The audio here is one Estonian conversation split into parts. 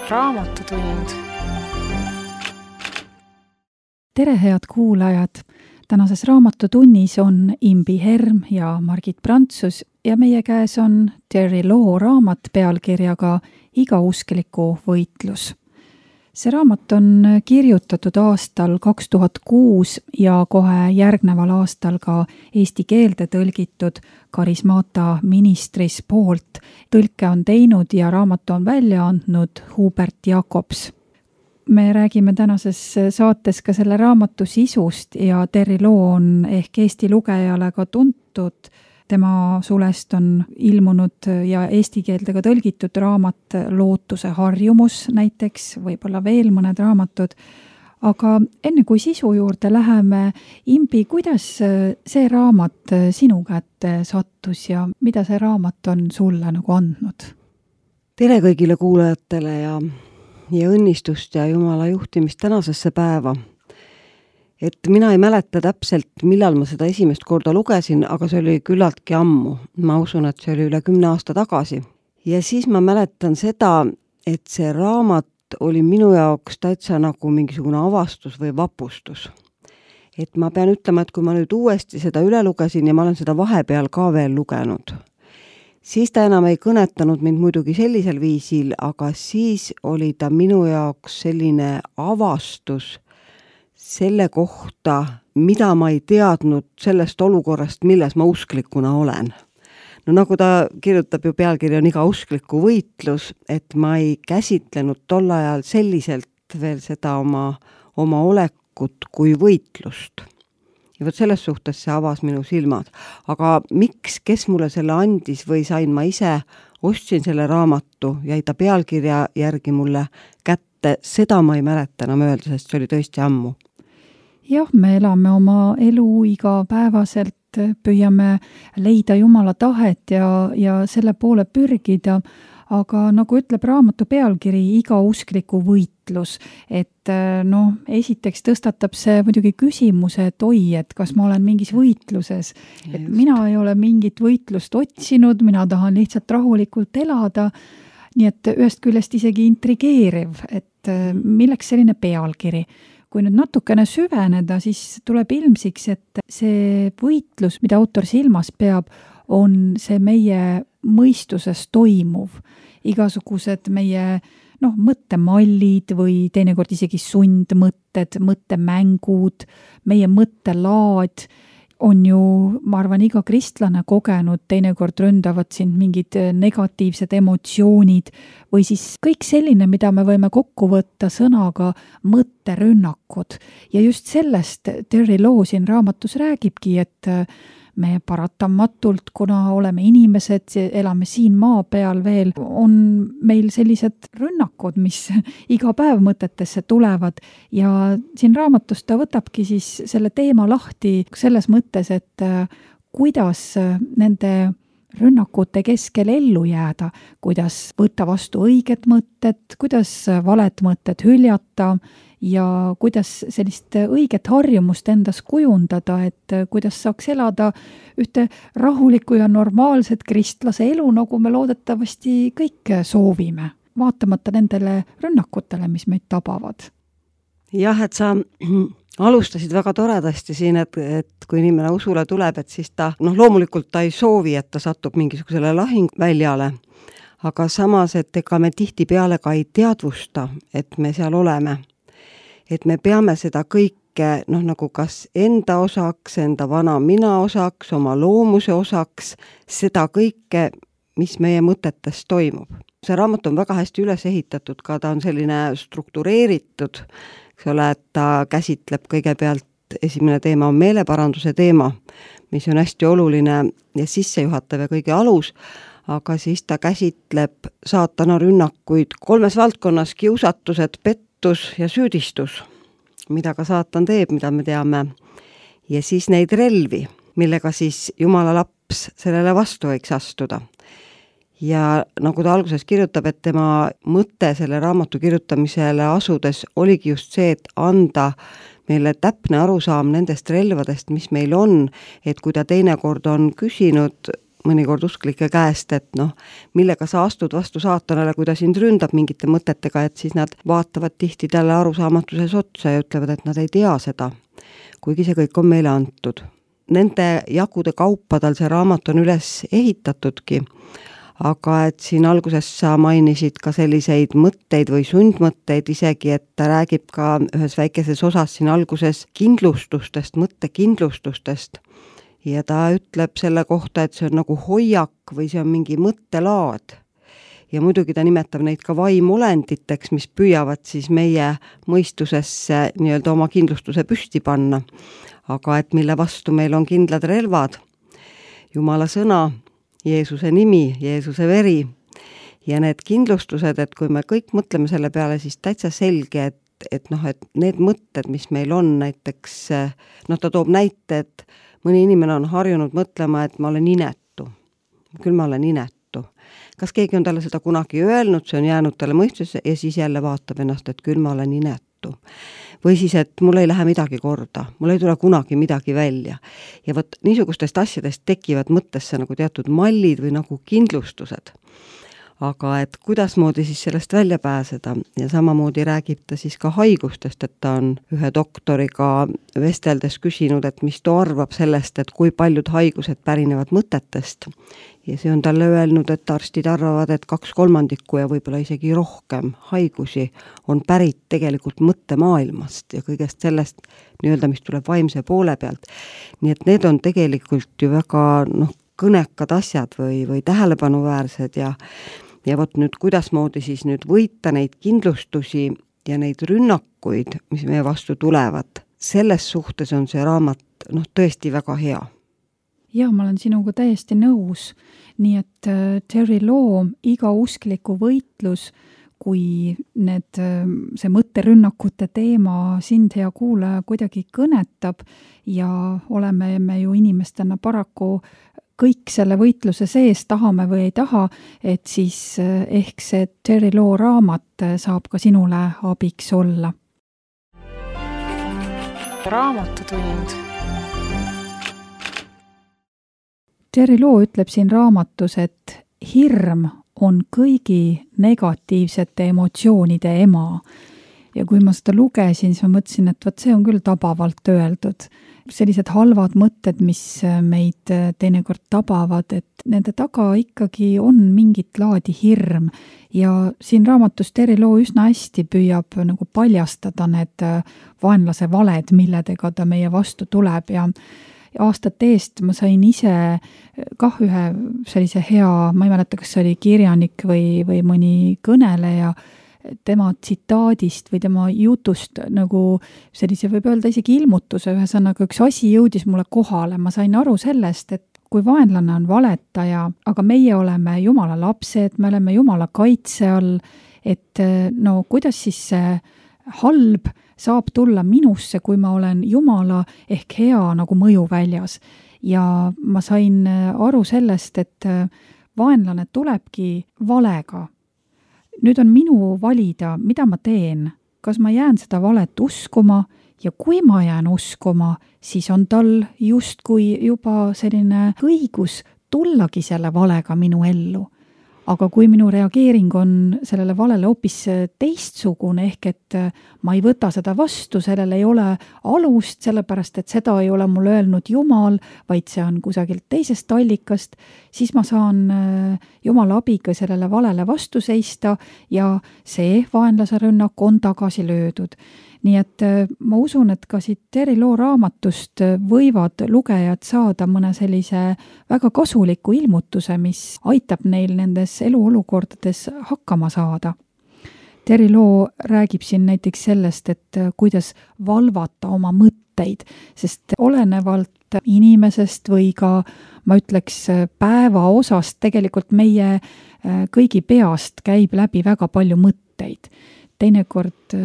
Raamatutund. Tere, head kuulajad! Tänases Raamatutunnis on Imbi Herm ja Margit Prantsus ja meie käes on Terry Law raamat pealkirjaga Igauskliku võitlus. See raamat on kirjutatud aastal 2006 ja kohe järgneval aastal ka eesti keelde tõlgitud Karismata ministris poolt. Tõlke on teinud ja raamatu on välja andnud Hubert Jakobs. Me räägime tänases saates ka selle raamatu sisust ja Terry Law on ehk Eesti lugejale ka tuntud. Tema sulest on ilmunud ja eesti keelde ka tõlgitud raamat Lootuse harjumus näiteks, võib-olla veel mõned raamatud. Aga enne kui sisu juurde läheme, Imbi, kuidas see raamat sinu kätte sattus ja mida see raamat on sulle nagu andnud? Tere kõigile kuulajatele ja õnnistust ja Jumala juhtimist tänasesse päeva. Et mina ei mäleta täpselt, millal ma seda esimest korda lugesin, aga see oli küllaltki ammu. Ma usun, et see oli üle 10 aasta tagasi. Ja siis ma mäletan seda, et see raamat oli minu jaoks täitsa nagu mingisugune avastus või vapustus. Et ma pean ütlema, et kui ma nüüd uuesti seda üle lugesin ja ma olen seda vahepeal ka veel lugenud, siis ta enam ei kõnetanud mind muidugi sellisel viisil, aga siis oli ta minu jaoks selline avastus selle kohta, mida ma ei teadnud sellest olukorrast, milles ma usklikuna olen. No nagu ta kirjutab ju pealkiri on Igauskliku võitlus, et ma ei käsitlenud tol ajal selliselt veel seda oma olekut kui võitlust. Ja võt selles suhtes see avas minu silmad. Aga miks, kes mulle selle andis või sain ma ise, ostsin selle raamatu, jäi ta pealkirja järgi mulle kätte, seda ma ei mäleta enam öelda, sest see oli tõesti ammu. Jah, me elame oma elu igapäevaselt, püüame leida Jumala tahet ja selle poole pürgida, aga nagu ütleb raamatu pealkiri Igauskliku võitlus, et esiteks tõstatab see muidugi küsimuse, et oi, et kas ma olen mingis võitluses, et mina ei ole mingit võitlust otsinud, mina tahan lihtsalt rahulikult elada, nii et ühest küljest isegi intrigeeriv, et milleks selline pealkiri. Kui nüüd natukene süveneda, siis tuleb ilmsiks, et see võitlus, mida autor silmas peab, on see meie mõistuses toimuv. Igasugused meie mõttemallid või teinekord isegi sundmõtted, mõttemängud, meie mõttelaad on ju, ma arvan, iga kristlane kogenud, teinekord ründavad sind mingid negatiivsed emotsioonid või siis kõik selline, mida me võime kokku võtta sõnaga mõtterünnakud. Ja just sellest Terry Law siin raamatus räägibki, et me paratamatult, kuna oleme inimesed, elame siin maa peal veel, on meil sellised rünnakud, mis iga päev mõtetesse tulevad ja siin raamatus ta võtabki siis selle teema lahti selles mõttes, et kuidas nende rünnakute keskel ellu jääda, kuidas võtta vastu õiged mõtted, kuidas valed mõtted hüljata ja kuidas sellist õiget harjumust endas kujundada, et kuidas saaks elada ühte rahulikku ja normaalset kristlase elu, nagu me loodetavasti kõik soovime, vaatamata nendele rünnakutele, mis meid tabavad. Jah, et sa alustasid väga toredasti siin, et kui inimene usule tuleb, et siis ta, loomulikult ta ei soovi, et ta satub mingisugusele lahingväljale, aga samas, et ega me tihtipeale ka ei teadvusta, et me seal oleme. Et me peame seda kõike, nagu kas enda osaks, enda vana mina osaks, oma loomuse osaks, seda kõike, mis meie mõtetes toimub. See raamat on väga hästi üles ehitatud, ka ta on selline struktureeritud, eks ole, et ta käsitleb kõigepealt, esimene teema on meeleparanduse teema, mis on hästi oluline ja sissejuhatav ja kõige alus, aga siis ta käsitleb saatana rünnakuid 3 valdkonnas: kiusatused, pettus ja süüdistus, mida ka saatan teeb, mida me teame. Ja siis neid relvi, millega siis Jumala laps sellele vastu võiks astuda. Ja nagu ta alguses kirjutab, et tema mõte selle raamatu kirjutamisele asudes oligi just see, et anda meile täpne arusaam nendest relvadest, mis meil on, et kui ta teinekord on küsinud mõnikord usklike käest, et noh, millega sa astud vastu saatanale, kui ta sind ründab mingite mõtetega, et siis nad vaatavad tihti talle arusaamatuses otsa ja ütlevad, et nad ei tea seda, kuigi see kõik on meile antud. Nende jagude kaupa tal see raamat on üles ehitatudki, aga et siin alguses sa mainisid ka selliseid mõtteid või sundmõtteid isegi, et ta räägib ka ühes väikeses osas siin alguses kindlustustest, mõttekindlustustest ja ta ütleb selle kohta, et see on nagu hoiak või see on mingi mõttelaad. Ja muidugi ta nimetab neid ka vaimolenditeks, mis püüavad siis meie mõistusesse nii-öelda oma kindlustuse püsti panna, aga et mille vastu meil on kindlad relvad, Jumala sõna, Jeesuse nimi, Jeesuse veri ja need kindlustused, et kui me kõik mõtleme selle peale, siis täitsa selge, et need mõtted, mis meil on näiteks, ta toob näite, et mõni inimene on harjunud mõtlema, et ma olen inetu. Küll ma olen inetu. Kas keegi on talle seda kunagi öelnud, see on jäänud talle mõistusesse ja siis jälle vaatab ennast, et küll ma olen inetu. Või siis, et mul ei lähe midagi korda, mul ei tule kunagi midagi välja. Ja võt niisugustest asjadest tekivad mõttesse nagu teatud mallid või nagu kindlustused. Aga et kuidasmoodi siis sellest välja pääseda ja samamoodi räägib ta siis ka haigustest, et ta on ühe doktoriga vesteldes küsinud, et mis ta arvab sellest, et kui paljud haigused pärinevad mõtetest. Ja see on talle öelnud, et arstid arvavad, et 2/3 ja võib-olla isegi rohkem haigusi on pärit tegelikult mõttemaailmast ja kõigest sellest nii-öelda, mis tuleb vaimse poole pealt. Nii et need on tegelikult ju väga kõnekad asjad või tähelepanuväärsed ja vot nüüd kuidasmoodi siis nüüd võita neid kindlustusi ja neid rünnakuid, mis meie vastu tulevad. Selles suhtes on see raamat tõesti väga hea. Ja ma olen sinuga täiesti nõus, nii et Terry Law iga uskliku võitlus, kui see mõtterünnakute teema sind, hea kuulaja, kuidagi kõnetab ja oleme me ju inimestena paraku kõik selle võitluse sees, tahame või ei taha, et siis ehk see Terry Law raamat saab ka sinule abiks olla. Raamatutund. Terry Law ütleb siin raamatus, et hirm on kõigi negatiivsete emotsioonide ema. Ja kui ma seda lugesin, siis ma mõtlesin, et see on küll tabavalt öeldud. Sellised halvad mõtted, mis meid teinekord tabavad, et nende taga ikkagi on mingit laadi hirm. Ja siin raamatus Terry Law üsna hästi püüab nagu paljastada need vaenlase valed, milledega ta meie vastu tuleb ja aastate eest ma sain ise kah ühe sellise hea, ma ei mäleta, kas see oli kirjanik või mõni kõneleja, tema tsitaadist või tema jutust nagu sellise võib öelda isegi ilmutuse, ühesõnaga üks asi jõudis mulle kohale, ma sain aru sellest, et kui vaenlane on valetaja, aga meie oleme Jumala lapsed, me oleme Jumala kaitse all, et kuidas siis see halb saab tulla minusse, kui ma olen Jumala ehk hea nagu mõjuväljas. Ja ma sain aru sellest, et vaenlane tulebki valega. Nüüd on minu valida, mida ma teen. Kas ma jään seda valet uskuma ja kui ma jään uskuma, siis on tal justkui juba selline õigus tullagi selle valega minu ellu. Aga kui minu reageering on sellele valele hoopis teistsugune, ehk et ma ei võta seda vastu, sellel ei ole alust, sellepärast et seda ei ole mulle öelnud Jumal, vaid see on kusagilt teisest allikast, siis ma saan Jumala abiga sellele valele vastu seista ja see vaenlase rünnak on tagasi löödud. Nii et ma usun, et ka siit Terry Law raamatust võivad lugejad saada mõne sellise väga kasuliku ilmutuse, mis aitab neil nendes eluolukordades hakkama saada. Terry Law räägib siin näiteks sellest, et kuidas valvata oma mõtteid, sest olenevalt inimesest või ka, ma ütleks, päeva osast tegelikult meie kõigi peast käib läbi väga palju mõtteid. Teinekord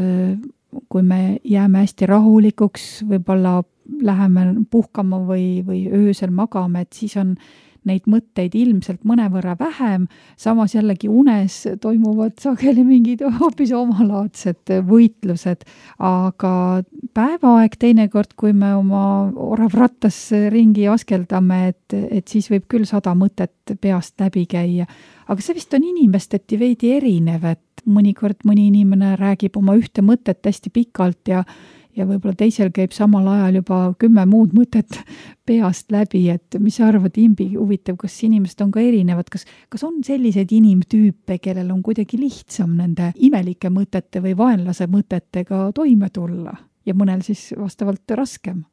kui me jääme hästi rahulikuks, võib-olla läheme puhkama või öösel magame, et siis on neid mõtteid ilmselt mõnevõrra vähem, samas jällegi unes toimuvad sageli mingid hoopis omalaadsed võitlused, aga päevaaeg teinekord, kui me oma oravrattas ringi askeldame, et siis võib küll 100 mõtet peast läbi käia. Aga see vist on inimesteti veidi erinev, et mõnikord mõni inimene räägib oma ühte mõtet hästi pikalt ja võib-olla teisel käib samal ajal juba 10 muud mõtet peast läbi, et mis sa arvad, Imbi, huvitav, kas inimesed on ka erinevad, kas on selliseid inimtüüpe, kellel on kuidagi lihtsam nende imelike mõtete või vaenlase mõtetega toime tulla ja mõnel siis vastavalt raskem?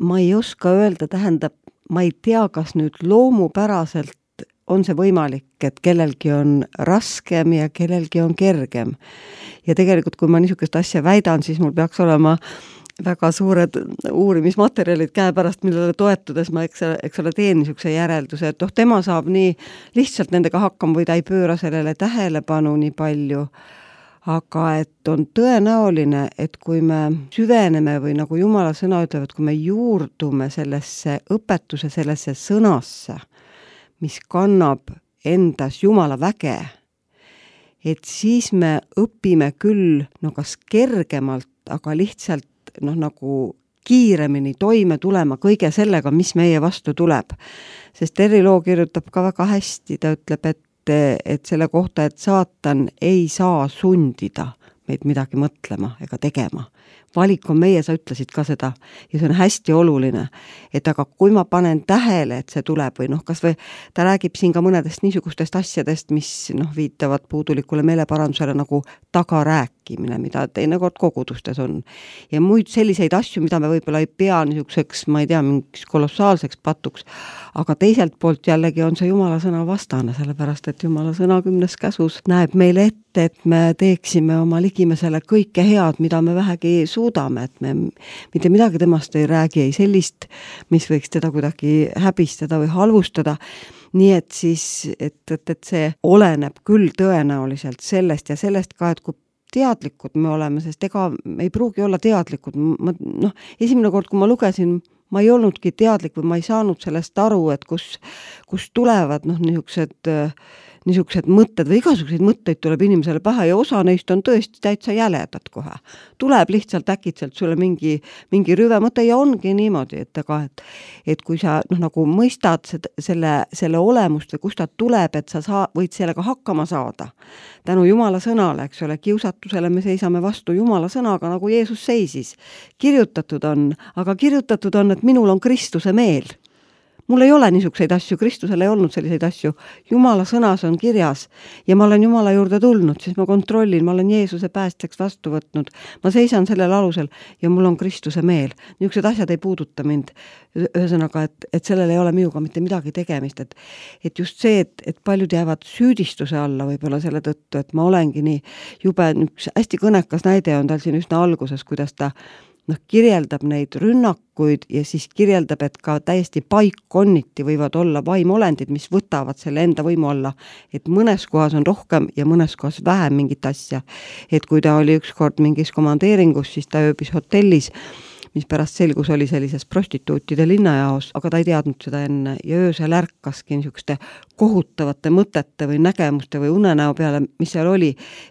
Ma ei oska öelda, tähendab, ma ei tea, kas nüüd loomupäraselt on see võimalik, et kellelgi on raskem ja kellelgi on kergem. Ja tegelikult, kui ma niisugust asja väidan, siis mul peaks olema väga suured uurimismaterjalid käepärast, millele toetudes ma eks ole teen niisuguse järelduse, et tema saab nii lihtsalt nendega hakkama või ta ei pööra sellele tähelepanu nii palju, aga et on tõenäoline, et kui me süveneme või nagu Jumala sõna ütlevad, kui me juurdume sellesse õpetuse, sellesse sõnasse, mis kannab endas Jumala väge, et siis me õpime küll kas kergemalt, aga lihtsalt nagu kiiremini toime tulema kõige sellega, mis meie vastu tuleb. Sest Terri Loo kirjutab ka väga hästi, ta ütleb, et selle kohta, et saatan ei saa sundida meid midagi mõtlema ega tegema. Valik on meie, sa ütlesid ka seda, ja see on hästi oluline, et aga kui ma panen tähele, et see tuleb või kas või ta räägib siin ka mõnedest niisugustest asjadest, mis viitavad puudulikule meeleparandusele nagu tagarääkimine, mida teinekord kogudustes on. Ja muid selliseid asju, mida me võib-olla ei pea niisuguseks, ma ei tea, mingiks kolossaalseks patuks, aga teiselt poolt jällegi on see Jumala sõna vastane, sellepärast et Jumala sõna 10. käsus näeb meile ette, et me teeksime oma ligimesele kõike head, mida me vähegi suudame, et me mitte midagi temast ei räägi, ei sellist, mis võiks teda kuidagi häbistada või halvustada. Nii et siis, et see oleneb küll tõenäoliselt sellest ja sellest ka, et kui teadlikud me oleme, sest ega me ei pruugi olla teadlikud. Esimene kord, kui ma lugesin, ma ei olnudki teadlik või ma ei saanud sellest aru, et kus tulevad niisugused mõtted või igasuguseid mõtteid tuleb inimesele pähe ja osa neist on tõesti täitsa jäledad kohe. Tuleb lihtsalt äkitselt sulle mingi rüve mõte ja ongi niimoodi, et kui sa nagu mõistad selle olemust või kust ta tuleb, et sa võid sellega hakkama saada. Tänu Jumala sõnale, eks ole, kiusatusele me seisame vastu Jumala sõnaga, nagu Jeesus seisis. Kirjutatud on, et minul on Kristuse meel. Mul ei ole niisuguseid asju, Kristusel ei olnud selliseid asju. Jumala sõnas on kirjas ja ma olen Jumala juurde tulnud, siis ma kontrollin, ma olen Jeesuse päästjaks vastu võtnud. Ma seisan sellel alusel ja mul on Kristuse meel. Niisugused asjad ei puuduta mind. Ühesõnaga, et sellel ei ole minuga mitte midagi tegemist. Et just see, et paljud jäävad süüdistuse alla võib-olla selle tõttu, et ma olengi nii jube, üks hästi kõnekas näide on tal siin üsna alguses, kuidas ta kirjeldab neid rünnakuid ja siis kirjeldab, et ka täiesti paikkonniti võivad olla vaimolendid, mis võtavad selle enda võimu alla, et mõnes kohas on rohkem ja mõnes kohas vähem mingit asja. Et kui ta oli ükskord mingis komandeeringus, siis ta ööbis hotellis, mis pärast selgus oli sellises prostituutide linnajaos, aga ta ei teadnud seda enne ja öösel ärkaski niisuguste kohutavate mõtete või nägemuste või unenäo peale, mis seal oli,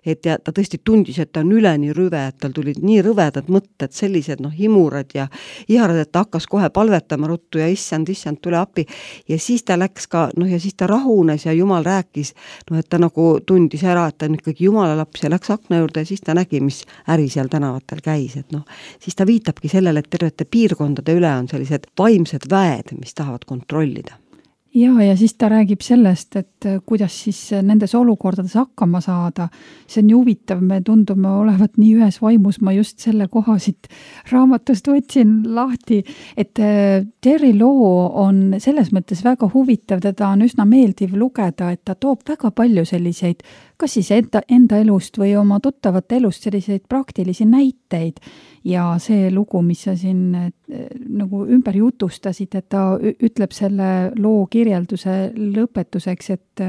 et ta tõesti tundis, et ta on üleni rüve, et tal tulid nii rõvedad mõtted, sellised himurad ja iharad, et ta hakkas kohe palvetama ruttu ja issand, tule appi ja siis ta läks ka, ja siis ta rahunes ja Jumal rääkis, et ta nagu tundis ära, et ta on ikkagi Jumala laps ja läks akna juurde ja siis ta nägi, mis äri seal tänavatel käis, et siis ta viitabki sellele, et tervete piirkondade üle on sellised vaimsed väed, mis tahavad kontrollida. Ja siis ta räägib sellest, et kuidas siis nendes olukordades hakkama saada. See on ju huvitav, me tundume olevat nii ühes vaimus, ma just selle koha siit raamatust võtsin lahti, et Terri Loo on selles mõttes väga huvitav, teda on üsna meeldiv lugeda, et ta toob väga palju selliseid, kas siis enda elust või oma tuttavate elust selliseid praktilisi näiteid. Ja see lugu, mis sa siin nagu ümber jutustasid, et ta ütleb selle loo kirjelduse lõpetuseks, et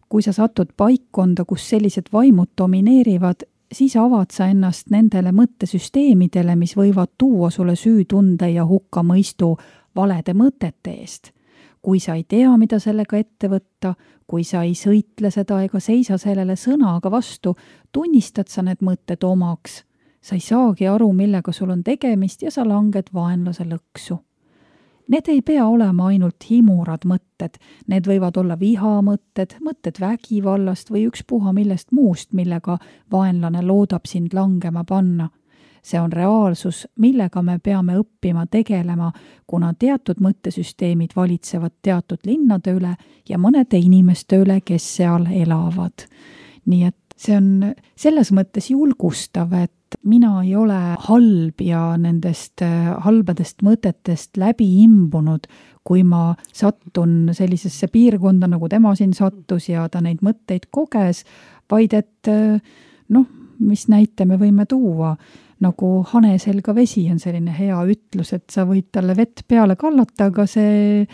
kui sa satud paikkonda, kus sellised vaimud domineerivad, siis avad sa ennast nendele mõttesüsteemidele, mis võivad tuua sulle süütunde ja hukkamõistu valede mõtete eest. kui sa ei tea, mida sellega ette võtta, kui sa ei sõitle seda ega seisa sellele sõnaga vastu, tunnistad sa need mõtted omaks. Sa ei saagi aru, millega sul on tegemist ja sa langed vaenlase lõksu. Need ei pea olema ainult himurad mõtted, need võivad olla vihamõtted, mõtted vägivallast või ükspuha millest muust, millega vaenlane loodab sind langema panna. See on reaalsus, millega me peame õppima tegelema, kuna teatud mõttesüsteemid valitsevad teatud linnade üle ja mõnede inimeste üle, kes seal elavad. Nii et see on selles mõttes julgustav, et mina ei ole halb ja nendest halbadest mõtetest läbi imbunud, kui ma sattun sellisesse piirkonda, nagu tema siin sattus ja ta neid mõtteid koges, vaid et mis näite me võime tuua, nagu hane selga vesi on selline hea ütlus, et sa võid talle vett peale kallata, aga see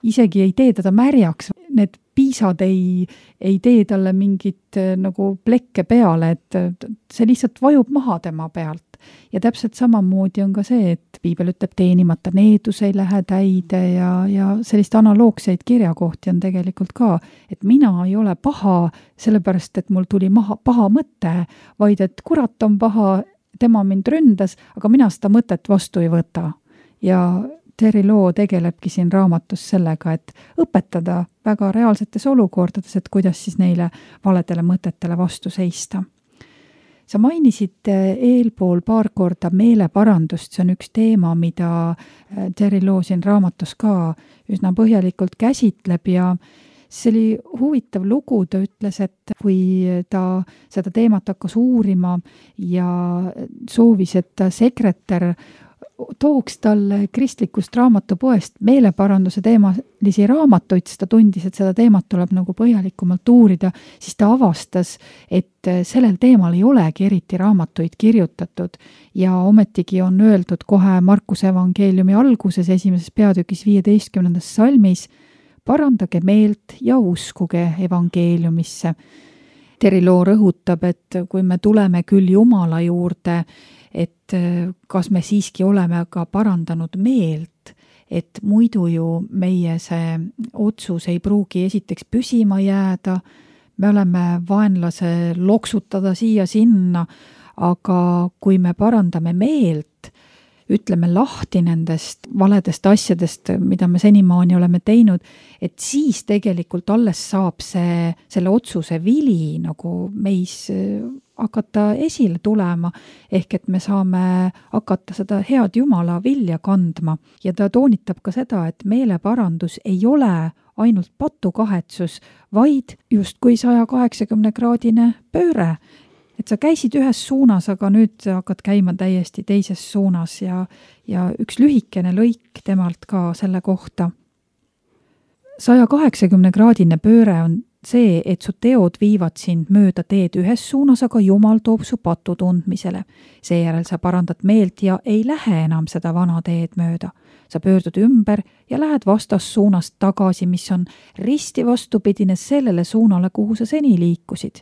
isegi ei tee teda märjaks. Need piisad ei tee talle mingit nagu plekke peale, et see lihtsalt vajub maha tema pealt. Ja täpselt samamoodi on ka see, et piibel ütleb, teenimata needus ei lähe täide ja sellist analoogseid kirjakohti on tegelikult ka, et mina ei ole paha sellepärast, et mul tuli paha mõte, vaid et kurat on paha, tema mind ründas, aga mina seda mõtet vastu ei võta. Ja Terry Loo tegelebki siin raamatus sellega, et õpetada väga reaalsetes olukordades, et kuidas siis neile valedele mõtetele vastu seista. Sa mainisid eelpool paar korda meeleparandust, see on üks teema, mida Terry Loo siin raamatus ka üsna põhjalikult käsitleb ja see oli huvitav lugu, ta ütles, et kui ta seda teemat hakkas uurima ja soovis, et sekretär tooks talle kristlikust raamatupoest meeleparanduse teemalisi raamatuid, sest ta tundis, et seda teemat tuleb nagu põhjalikumalt uurida, siis ta avastas, et sellel teemal ei olegi eriti raamatuid kirjutatud ja ometigi on öeldud kohe Markuse evangeeliumi alguses 1. peatükis 15. salmis, parandage meelt ja uskuge evangeeliumisse. Terry Loo rõhutab, et kui me tuleme küll Jumala juurde, et kas me siiski oleme ka parandanud meelt, et muidu ju meie see otsus ei pruugi esiteks püsima jääda, me oleme vaenlase loksutada siia-sinna, aga kui me parandame meelt, ütleme lahti nendest valedest asjadest, mida me senimaani oleme teinud, et siis tegelikult alles saab selle otsuse vili nagu meis hakata esile tulema, ehk et me saame hakata seda head Jumala vilja kandma. Ja ta toonitab ka seda, et meeleparandus ei ole ainult patukahetsus, vaid justkui 180-kraadine pööre. Et sa käisid ühes suunas, aga nüüd hakkad käima täiesti teises suunas ja üks lühikene lõik temalt ka selle kohta. 180-kraadine pööre on see, et su teod viivad sind mööda teed ühes suunas, aga Jumal toob su patu tundmisele. Seejärel sa parandad meelt ja ei lähe enam seda vana teed mööda. Sa pöördud ümber ja lähed vastassuunast tagasi, mis on risti vastupidine sellele suunale, kuhu sa seni liikusid.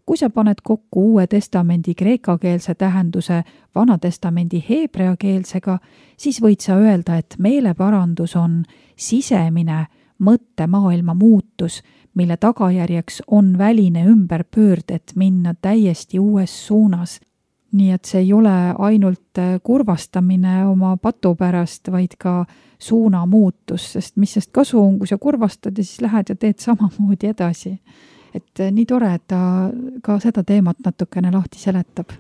Kui sa paned kokku Uue Testamendi kreekakeelse tähenduse Vana Testamendi heebreakeelsega, siis võid sa öelda, et meeleparandus on sisemine mõttemaailma muutus, mille tagajärjeks on väline ümberpöörd, et minna täiesti uues suunas. Nii et see ei ole ainult kurvastamine oma patu pärast, vaid ka suuna muutus, sest mis sest kasu on, kui sa kurvastad ja siis lähed ja teed samamoodi edasi. Et nii tore, et ta ka seda teemat natukene lahti seletab.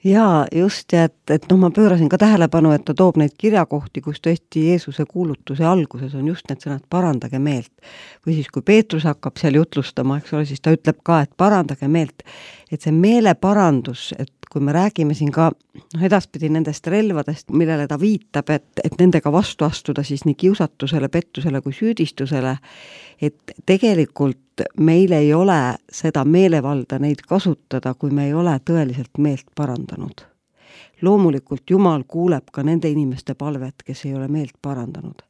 Jaa, just, ja et ma pöörasin ka tähelepanu, et ta toob neid kirjakohti, kus tõesti Jeesuse kuulutuse alguses on just need sõnad parandage meelt. Või siis, kui Peetrus hakkab seal jutlustama, eks ole, siis ta ütleb ka, et parandage meelt. Et see meeleparandus, et kui me räägime siin ka edaspidi nendest relvadest, millele ta viitab, et nendega vastu astuda siis nii kiusatusele, pettusele kui süüdistusele, et tegelikult meil ei ole seda meelevalda neid kasutada, kui me ei ole tõeliselt meelt parandanud. Loomulikult Jumal kuuleb ka nende inimeste palvet, kes ei ole meelt parandanud.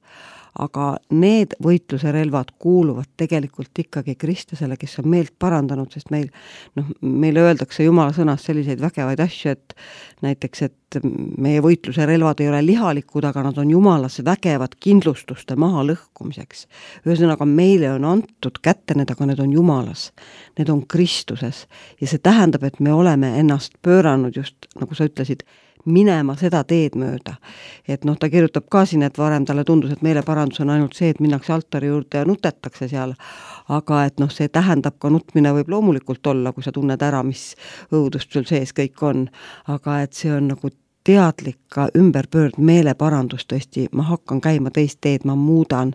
aga need võitluse relvad kuuluvad tegelikult ikkagi kristlasele, kes on meelt parandanud, sest meile öeldakse Jumala sõnas selliseid vägevaid asju, et näiteks, et meie võitluse relvad ei ole lihalikud, aga nad on Jumalas vägevad kindlustuste maha lõhkumiseks. Ühesõnaga, meile on antud kätte need, aga need on Jumalas. Need on Kristuses ja see tähendab, et me oleme ennast pööranud just, nagu sa ütlesid, minema seda teed mööda. Et ta kirjutab ka siin, et varem talle tundus, et meeleparandus on ainult see, et minnakse altari juurde ja nutetakse seal, aga et see tähendab ka nutmine võib loomulikult olla, kui sa tunned ära, mis õudust sul sees kõik on, aga et see on nagu teadlik ka ümberpöörd meeleparandus tõesti, ma hakkan käima teist teed, ma muudan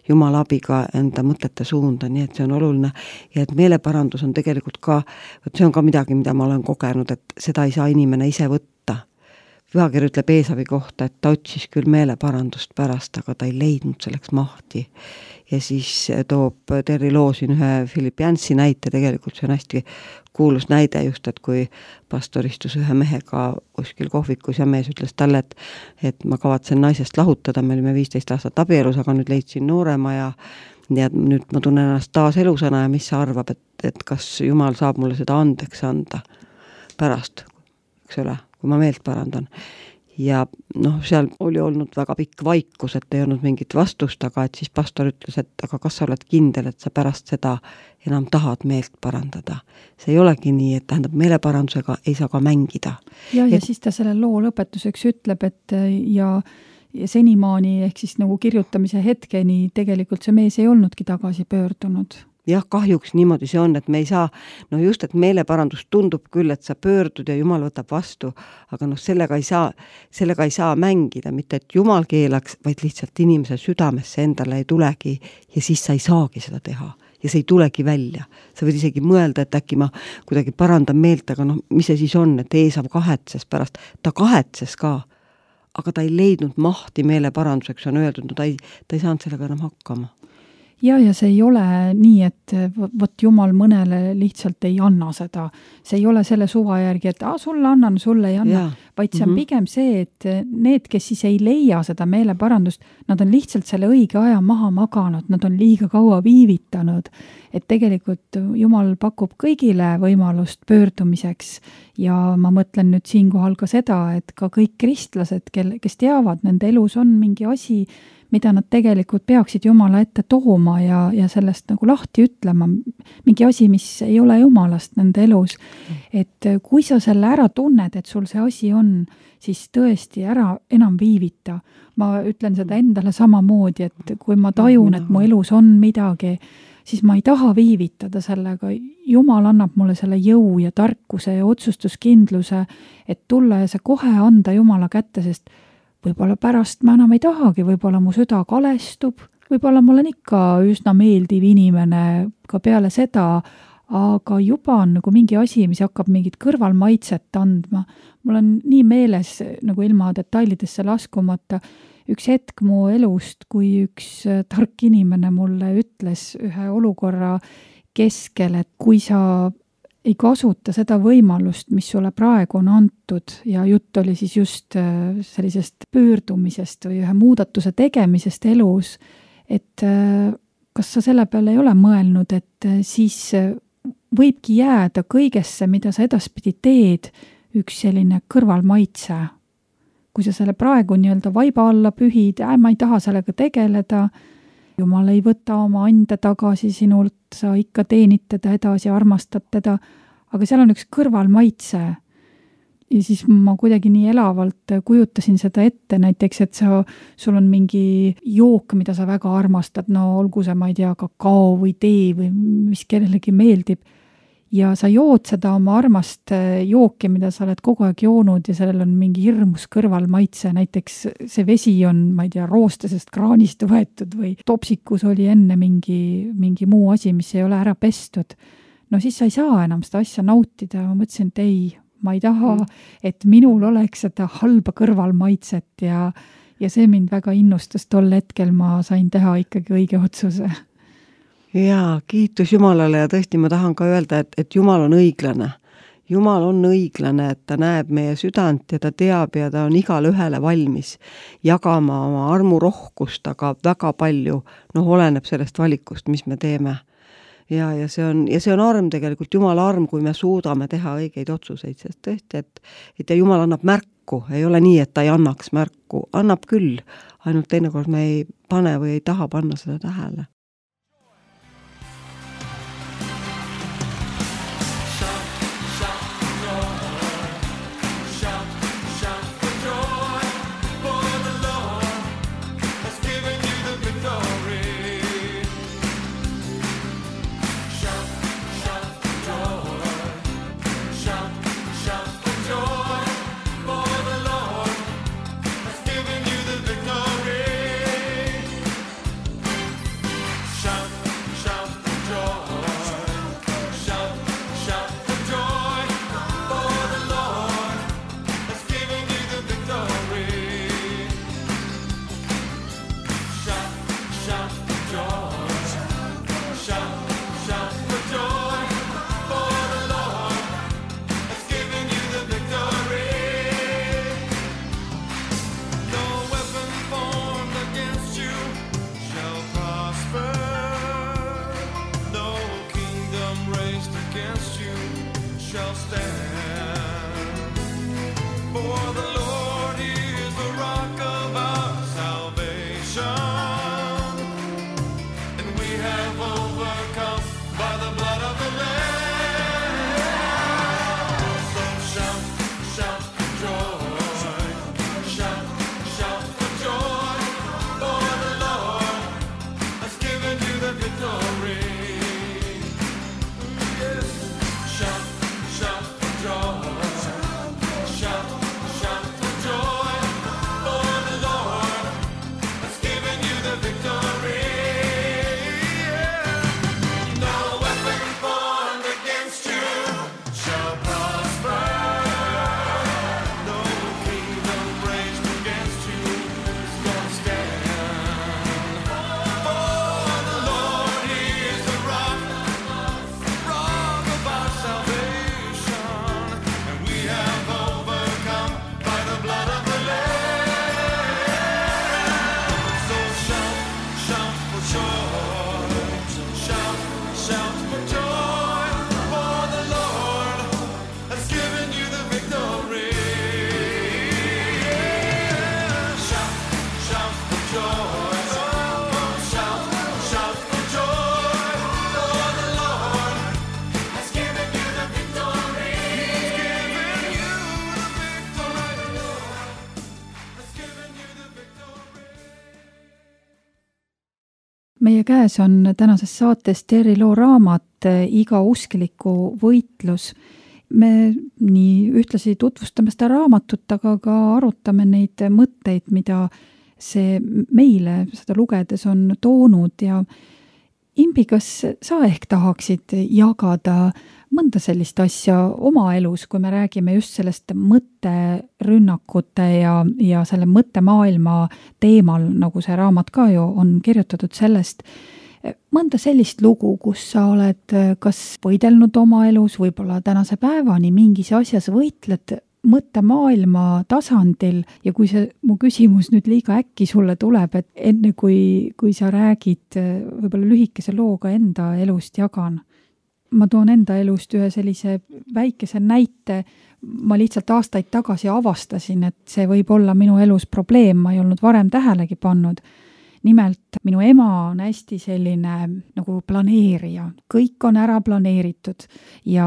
Jumala abiga enda mõtete suunda, nii et see on oluline ja et meeleparandus on tegelikult ka, see on ka midagi, mida ma olen kogenud, et seda ei saa inimene ise võtta. Pühakiri ütleb Eesavi kohta, et ta otsis küll meeleparandust pärast, aga ta ei leidnud selleks mahti. Ja siis toob Terri Loo siin ühe Philip Jansi näite, tegelikult see on hästi kuulus näide just, et kui pastor istus ühe mehega kuskil kohvikus ja mees ütles talle, et ma kavatsen naisest lahutada, me olime 15 aastat abielus, aga nüüd leidsin noorema ja nüüd ma tunnen ennast taas elusana ja mis sa arvab, et kas Jumal saab mulle seda andeks anda pärast, eks ole, kui ma meelt parandan. Ja seal oli olnud väga pikk vaikus, et ei olnud mingit vastust, aga et siis pastor ütles, et aga kas sa oled kindel, et sa pärast seda enam tahad meelt parandada. See ei olegi nii, et tähendab meeleparandusega ei saa ka mängida. Ja siis ta selle loo lõpetuseks ütleb, et ja senimaani ehk siis nagu kirjutamise hetkeni tegelikult see mees ei olnudki tagasi pöördunud. Jah, kahjuks niimoodi see on, et me ei saa, just, et meeleparandus tundub küll, et sa pöördud ja Jumal võtab vastu, aga sellega ei saa mängida, mitte et Jumal keelaks, vaid lihtsalt inimese südamesse endale ei tulegi ja siis sa ei saagi seda teha ja see ei tulegi välja. Sa võid isegi mõelda, et äkki ma kuidagi parandan meelt, aga mis see siis on, et Eesav kahetses pärast, ta kahetses ka, aga ta ei leidnud mahti meeleparanduseks, on öeldud, ta ei saanud sellega enam hakkama. Ja see ei ole nii, et võt Jumal mõnele lihtsalt ei anna seda. See ei ole selle suva järgi, et sulle annan, sulle ei anna. Vaid see on pigem see, et need, kes siis ei leia seda meeleparandust, nad on lihtsalt selle õige aja maha maganud, nad on liiga kaua viivitanud. Et tegelikult Jumal pakub kõigile võimalust pöördumiseks ja ma mõtlen nüüd siinkohal ka seda, et ka kõik kristlased, kes teavad, nende elus on mingi asi, mida nad tegelikult peaksid Jumala ette tooma ja sellest nagu lahti ütlema, mingi asi, mis ei ole Jumalast nende elus. Et kui sa selle ära tunned, et sul see asi on, siis tõesti ära enam viivita. Ma ütlen seda endale samamoodi, et kui ma tajun, et mu elus on midagi, siis ma ei taha viivitada sellega. Jumal annab mulle selle jõu ja tarkuse ja otsustuskindluse, et tulla ja see kohe anda Jumala kätte, sest võib-olla pärast ma enam ei tahagi, võib-olla mu süda kalestub, võib-olla mul on ikka üsna meeldiv inimene ka peale seda, aga juba on nagu mingi asi, mis hakkab mingit kõrvalmaitset andma. Mul on nii meeles, nagu ilma detailidesse laskumata, üks hetk mu elust, kui üks tark inimene mulle ütles ühe olukorra keskel, et kui sa ei kasuta seda võimalust, mis sulle praegu on antud ja jutt oli siis just sellisest pöördumisest või ühe muudatuse tegemisest elus, et kas sa selle peale ei ole mõelnud, et siis võibki jääda kõigesse, mida sa edaspidi teed, üks selline kõrvalmaitse. Kui sa selle praegu nii-öelda vaiba alla pühid, ma ei taha sellega tegeleda, Jumal ei võta oma ande tagasi sinult, sa ikka teenid teda edasi, armastad teda, aga seal on üks kõrvalmaitse. Ja siis ma kuidagi nii elavalt kujutasin seda ette, näiteks, et sul on mingi jook, mida sa väga armastad, olgu see, ma ei tea, kakao või tee või mis kellelegi meeldib. Ja sa jood seda oma armast jooki, mida sa oled kogu aeg joonud ja sellel on mingi hirmus kõrvalmaitse, näiteks see vesi on, ma ei tea, roostasest kraanist võetud või topsikus oli enne mingi muu asi, mis ei ole ära pestud. Siis sa ei saa enam seda asja nautida. Ma mõtlesin, et ei, ma ei taha, et minul oleks seda halba kõrvalmaitset ja see mind väga innustas tol hetkel, ma sain teha ikkagi õige otsuse. Jaa, kiitus Jumalale ja tõesti ma tahan ka öelda, et Jumal on õiglane Jumal on õiglane, et ta näeb meie südant ja ta teab ja ta on igale ühele valmis jagama oma armurohkust, aga väga palju, oleneb sellest valikust, mis me teeme. Ja see on arm tegelikult, Jumala arm, kui me suudame teha õigeid otsuseid, sest tõesti, et Jumal annab märku, ei ole nii, et ta ei annaks märku, annab küll, ainult teinekord me ei pane või ei taha panna seda tähele. Meie käes on tänases saates Terri Loo raamat Iga uskliku võitlus. Me nii ühtlasi tutvustame seda raamatut, aga ka arutame neid mõtteid, mida see meile seda lugedes on toonud ja Imbi, kas sa ehk tahaksid jagada mõnda sellist asja oma elus, kui me räägime just sellest mõtterünnakute ja selle mõttemaailma teemal, nagu see raamat ka ju on kirjutatud sellest, mõnda sellist lugu, kus sa oled kas võidelnud oma elus, võib-olla tänase päevani mingis asjas võitled mõttemaailma tasandil ja kui see mu küsimus nüüd liiga äkki sulle tuleb, et enne kui sa räägid võib-olla lühikese looga enda elust jagan. Ma toon enda elust ühe sellise väikese näite, ma lihtsalt aastaid tagasi avastasin, et see võib olla minu elus probleem, ma ei olnud varem tähelegi pannud. Nimelt minu ema on hästi selline nagu planeerija, kõik on ära planeeritud ja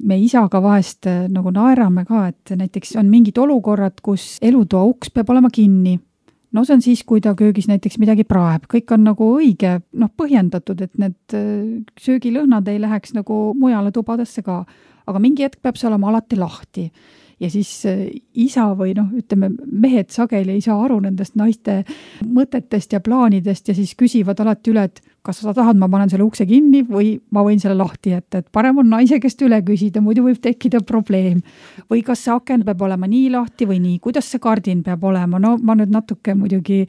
me isaga vahest nagu naerame ka, et näiteks on mingid olukorrad, kus elutoa uks peab olema kinni. No see on siis, kui ta köögis näiteks midagi praeb, kõik on nagu õige, põhjendatud, et need söögilõhnad ei läheks nagu mujale tubadesse ka, aga mingi hetk peab see olema alati lahti. Ja siis isa või ütleme, mehed sageli ei saa aru nendest naiste mõtetest ja plaanidest ja siis küsivad alati üle, et kas sa tahad, ma panen selle ukse kinni või ma võin selle lahti jätta, et parem on naise käest üle küsida, muidu võib tekkida probleem. Või kas see aken peab olema nii lahti või nii, kuidas see kardin peab olema, no ma nüüd natuke muidugi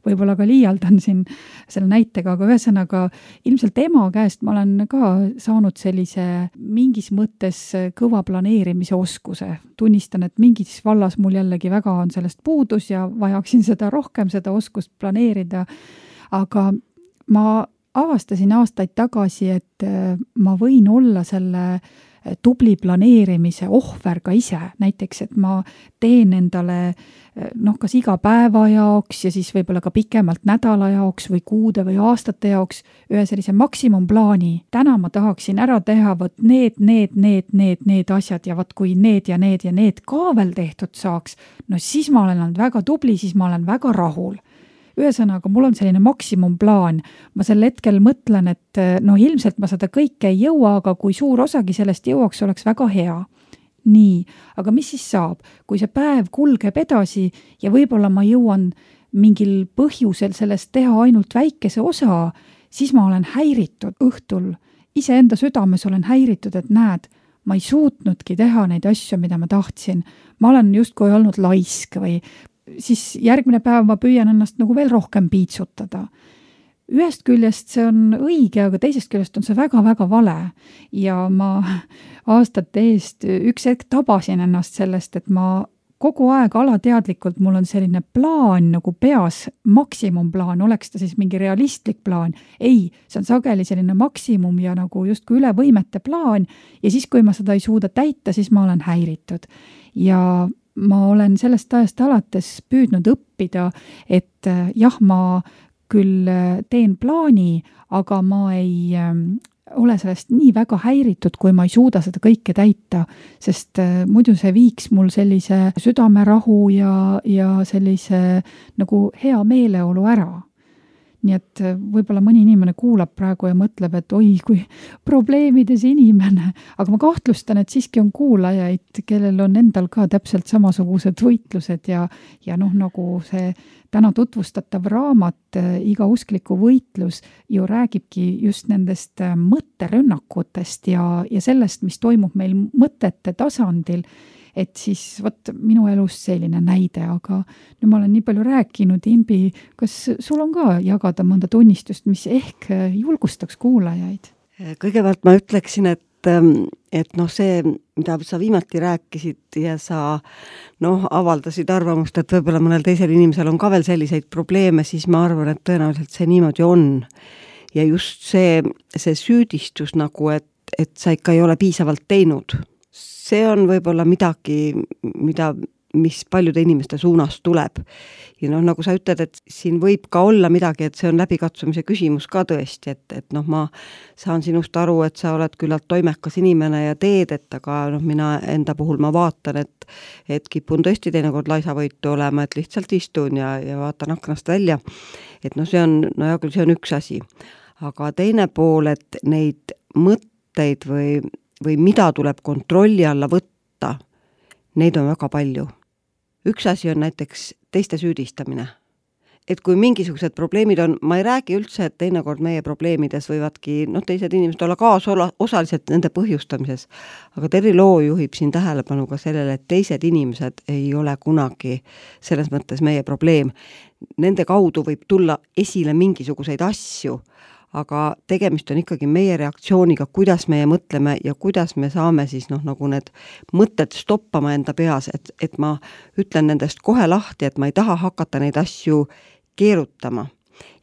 võib-olla ka liialdan siin selle näitega, aga ühesõnaga ilmselt ema käest ma olen ka saanud sellise mingis mõttes kõva planeerimise oskuse. Tunnistan, et mingis vallas mul jällegi väga on sellest puudus ja vajaksin seda rohkem, seda oskust planeerida, aga ma avastasin aastaid tagasi, et ma võin olla selle tubli planeerimise ohver ka ise. Näiteks, et ma teen endale kas iga päeva jaoks ja siis võib-olla ka pikemalt nädala jaoks või kuude või aastate jaoks ühe sellise maksimumplaani. Täna ma tahaksin ära teha võt need asjad ja võt kui need ja need ka veel tehtud saaks, no siis ma olen olnud väga tubli, siis ma olen väga rahul. Ühesõnaga, mul on selline maksimumplaan. Ma sel hetkel mõtlen, et ilmselt ma seda kõike ei jõua, aga kui suur osagi sellest jõuaks, oleks väga hea. Nii, aga mis siis saab? Kui see päev kulgeb edasi ja võib-olla ma jõuan mingil põhjusel sellest teha ainult väikese osa, siis ma olen häiritud õhtul. Iseenda südames olen häiritud, et näed, ma ei suutnudki teha neid asju, mida ma tahtsin. Ma olen justkui olnud laisk või siis järgmine päev ma püüan ennast nagu veel rohkem piitsutada. Ühest küljest see on õige, aga teisest küljest on see väga-väga vale. Ja ma aastate eest üks hetk tabasin ennast sellest, et ma kogu aeg alateadlikult mul on selline plaan nagu peas, maksimumplaan, oleks ta siis mingi realistlik plaan. Ei, see on sageli selline maksimum ja nagu justkui üle võimete plaan ja siis, kui ma seda ei suuda täita, siis ma olen häiritud. Ja ma olen sellest ajast alates püüdnud õppida, et jah, ma küll teen plaani, aga ma ei ole sellest nii väga häiritud, kui ma ei suuda seda kõike täita, sest muidu see viiks mul sellise südamerahu ja sellise nagu hea meeleolu ära. Nii et võib-olla mõni inimene kuulab praegu ja mõtleb, et oi, kui probleemides inimene, aga ma kahtlustan, et siiski on kuulajaid, kellel on endal ka täpselt samasugused võitlused ja nagu see täna tutvustatav raamat Iga uskliku võitlus ju räägibki just nendest mõtterünnakutest ja sellest, mis toimub meil mõtete tasandil. Et siis minu elus selline näide, aga nüüd ma olen nii palju rääkinud, Imbi, kas sul on ka jagada mõnda tunnistust, mis ehk julgustaks kuulajaid? Kõigepealt ma ütleksin, et see, mida sa viimati rääkisid ja sa avaldasid arvamust, et võib-olla mõnel teisel inimesel on ka veel selliseid probleeme, siis ma arvan, et tõenäoliselt see niimoodi on. Ja just see süüdistus nagu, et sa ikka ei ole piisavalt teinud. See on võib-olla midagi, mis paljude inimeste suunas tuleb. Ja nagu sa ütled, et siin võib ka olla midagi, et see on läbikatsumise küsimus ka tõesti, et ma saan sinust aru, et sa oled küllalt toimekas inimene ja teed, et aga mina enda puhul ma vaatan, et kipun tõesti teinekord laisavõitu olema, et lihtsalt istun ja vaatan aknast välja. Et see on, hea küll, see on üks asi. Aga teine pool, et neid mõtteid või mida tuleb kontrolli alla võtta, neid on väga palju. Üks asi on näiteks teiste süüdistamine. Et kui mingisugused probleemid on, ma ei räägi üldse, et teinekord meie probleemides võivadki teised inimesed olla kaasosalised nende põhjustamises, aga Terri Loo juhib siin tähelepanu ka sellele, et teised inimesed ei ole kunagi selles mõttes meie probleem. Nende kaudu võib tulla esile mingisuguseid asju, aga tegemist on ikkagi meie reaktsiooniga, kuidas meie mõtleme ja kuidas me saame siis nagu need mõtted stoppama enda peas, et ma ütlen nendest kohe lahti, et ma ei taha hakata neid asju keerutama.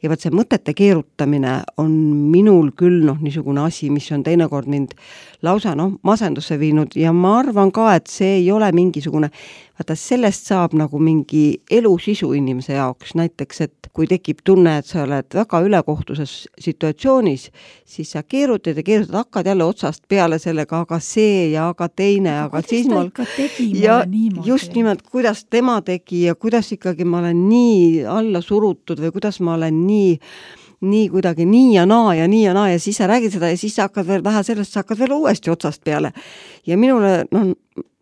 Ja see mõtete keerutamine on minul küll niisugune asi, mis on teinekord mind lausa masendusse viinud ja ma arvan ka, et see ei ole mingisugune, sellest saab nagu mingi elusisu inimese jaoks, näiteks, et kui tekib tunne, et sa oled väga ülekohtuses situatsioonis, siis sa keerutad, hakkad jälle otsast peale sellega, aga see ja aga teine, aga siis ma ja just nimelt, kuidas tema tegi ja kuidas ikkagi ma olen nii alla surutud või kuidas ma olen nii kuidagi nii ja naa ja ja siis sa räägid seda ja siis sa hakkad veel vähe sellest, sa hakkad veel uuesti otsast peale. Ja minule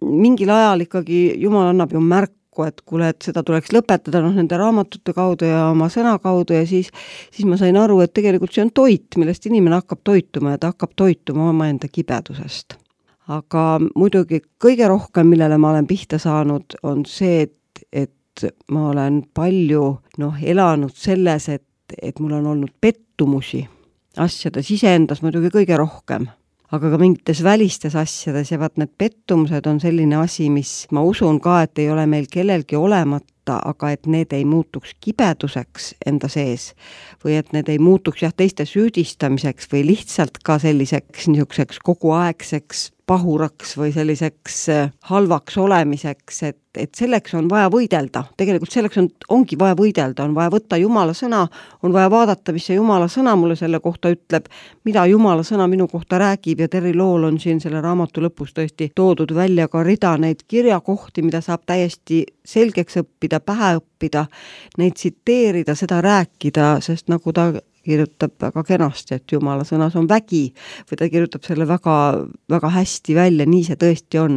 mingil ajal ikkagi Jumal annab ju märku, kokku, et kuule, et seda tuleks lõpetada nende raamatute kaudu ja oma sõna kaudu ja siis ma sain aru, et tegelikult see on toit, millest inimene hakkab toituma ja ta hakkab toituma omaenda kibedusest. Aga muidugi kõige rohkem, millele ma olen pihta saanud, on see, et ma olen palju elanud selles, et mul on olnud pettumusi asjades iseendas muidugi kõige rohkem, aga ka mingites välistes asjades ja vaat need pettumused on selline asi, mis ma usun ka, et ei ole meil kellelgi olemata, aga et need ei muutuks kibeduseks enda sees või et need ei muutuks teiste süüdistamiseks või lihtsalt ka selliseks niisuguseks koguaegseks pahuraks või selliseks halvaks olemiseks, et selleks on vaja võidelda. Tegelikult selleks ongi vaja võidelda, on vaja võtta Jumala sõna, on vaja vaadata, mis see Jumala sõna mulle selle kohta ütleb, mida Jumala sõna minu kohta räägib ja Terri Lool on siin selle raamatu lõpus tõesti toodud välja ka rida neid kirjakohti, mida saab täiesti selgeks õppida, pähe õppida, neid tsiteerida, seda rääkida, sest nagu ta kirjutab väga kenasti, et Jumala sõnas on vägi või ta kirjutab selle väga, väga hästi välja, nii see tõesti on.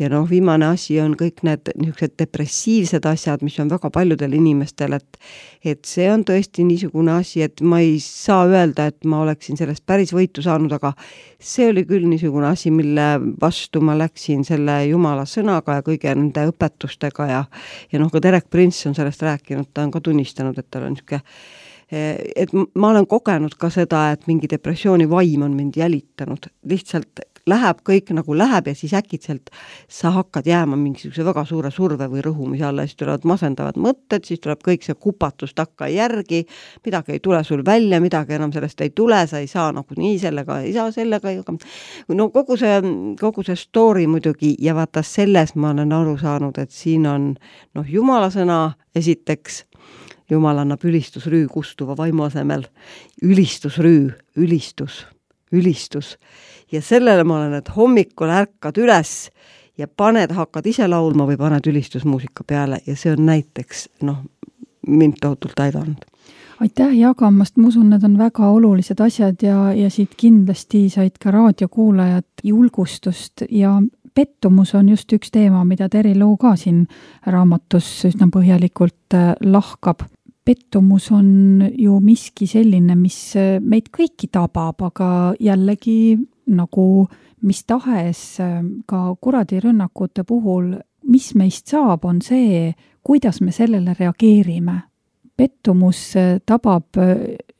Ja viimane asi on kõik need niisugused depressiivsed asjad, mis on väga paljudel inimestel, et see on tõesti niisugune asi, et ma ei saa öelda, et ma oleksin sellest päris võitu saanud, aga see oli küll niisugune asi, mille vastu ma läksin selle Jumala sõnaga ja kõige nende õpetustega ja ka Derek Prince on sellest rääkinud, ta on ka tunnistanud, et tal on niisugune et ma olen kogenud ka seda, et mingi depressiooni vaim on mind jälitanud. Lihtsalt läheb kõik nagu läheb ja siis äkitselt sa hakkad jääma mingisuguse väga suure surve või rõhumise alla, siis tulevad masendavad mõtted, siis tuleb kõik see kupatus takka järgi, midagi ei tule sul välja, midagi enam sellest ei tule, sa ei saa nagu nii sellega, ei saa sellega, kogu see story muidugi ja vaata selles ma olen aru saanud, et siin on Jumala sõna esiteks, Jumal annab ülistusrüü kustuva vaimu asemel. Ülistusrüü, ülistus. Ja sellele ma olen, et hommikul ärkad üles ja hakkad ise laulma või paned ülistusmuusika peale ja see on näiteks, mind tohutult aidanud. Aitäh jagamast, ma usun, need on väga olulised asjad ja siit kindlasti said ka raadiokuulajad julgustust ja pettumus on just üks teema, mida Terri Loo ka siin raamatus üsna põhjalikult lahkab. Pettumus on ju miski selline, mis meid kõiki tabab, aga jällegi nagu mis tahes ka kuradirünnakute puhul, mis meist saab, on see, kuidas me sellele reageerime. Pettumus tabab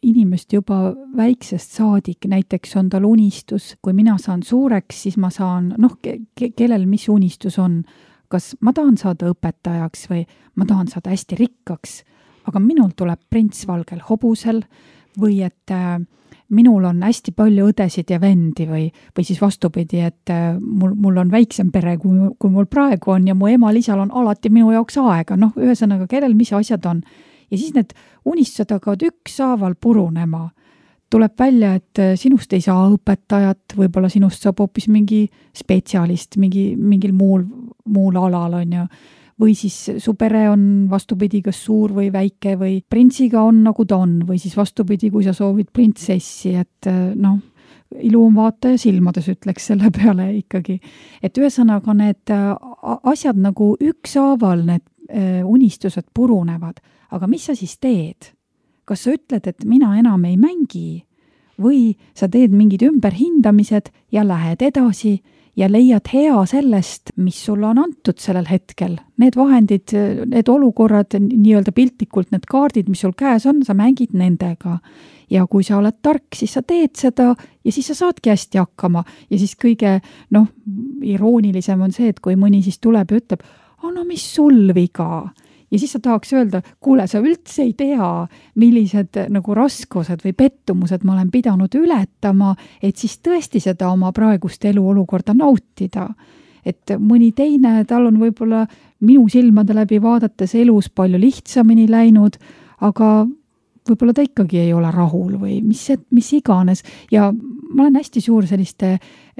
inimest juba väiksest saadik, näiteks on tal unistus, kui mina saan suureks, siis ma saan, kellel mis unistus on, kas ma tahan saada õpetajaks või ma tahan saada hästi rikkaks, aga minul tuleb prints valgel hobusel või et minul on hästi palju õdesid ja vendi või siis vastupidi, et mul on väiksem pere, kui mul praegu on ja mu emal-isal on alati minu jaoks aega, ühesõnaga, kellel mis asjad on. Ja siis need unistused hakkavad ükshaaval purunema. Tuleb välja, et sinust ei saa õpetajat, võib-olla sinust saab hoopis mingi spetsialist mingil muul alal on ju. Või siis su pere on vastupidi kas suur või väike või printsiga on nagu ta on või siis vastupidi, kui sa soovid printsessi, et ilu on vaataja silmades, ütleks selle peale ikkagi. Et ühesõnaga need asjad nagu ükshaaval need unistused purunevad, aga mis sa siis teed? Kas sa ütled, et mina enam ei mängi või sa teed mingid ümberhindamised ja lähed edasi ja leiad hea sellest, mis sulle on antud sellel hetkel. Need vahendid, need olukorrad, nii-öelda piltlikult need kaardid, mis sul käes on, sa mängid nendega. Ja kui sa oled tark, siis sa teed seda ja siis sa saadki hästi hakkama. Ja siis kõige, iroonilisem on see, et kui mõni siis tuleb ja ütleb, mis sul viga? Ja siis sa tahaks öelda, kuule, sa üldse ei tea, millised nagu raskused või pettumused ma olen pidanud ületama, et siis tõesti seda oma praegust eluolukorda nautida. Et mõni teine, tal on võib-olla minu silmade läbi vaadates elus palju lihtsamini läinud, aga võib-olla ta ikkagi ei ole rahul või mis iganes. Ja ma olen hästi suur selliste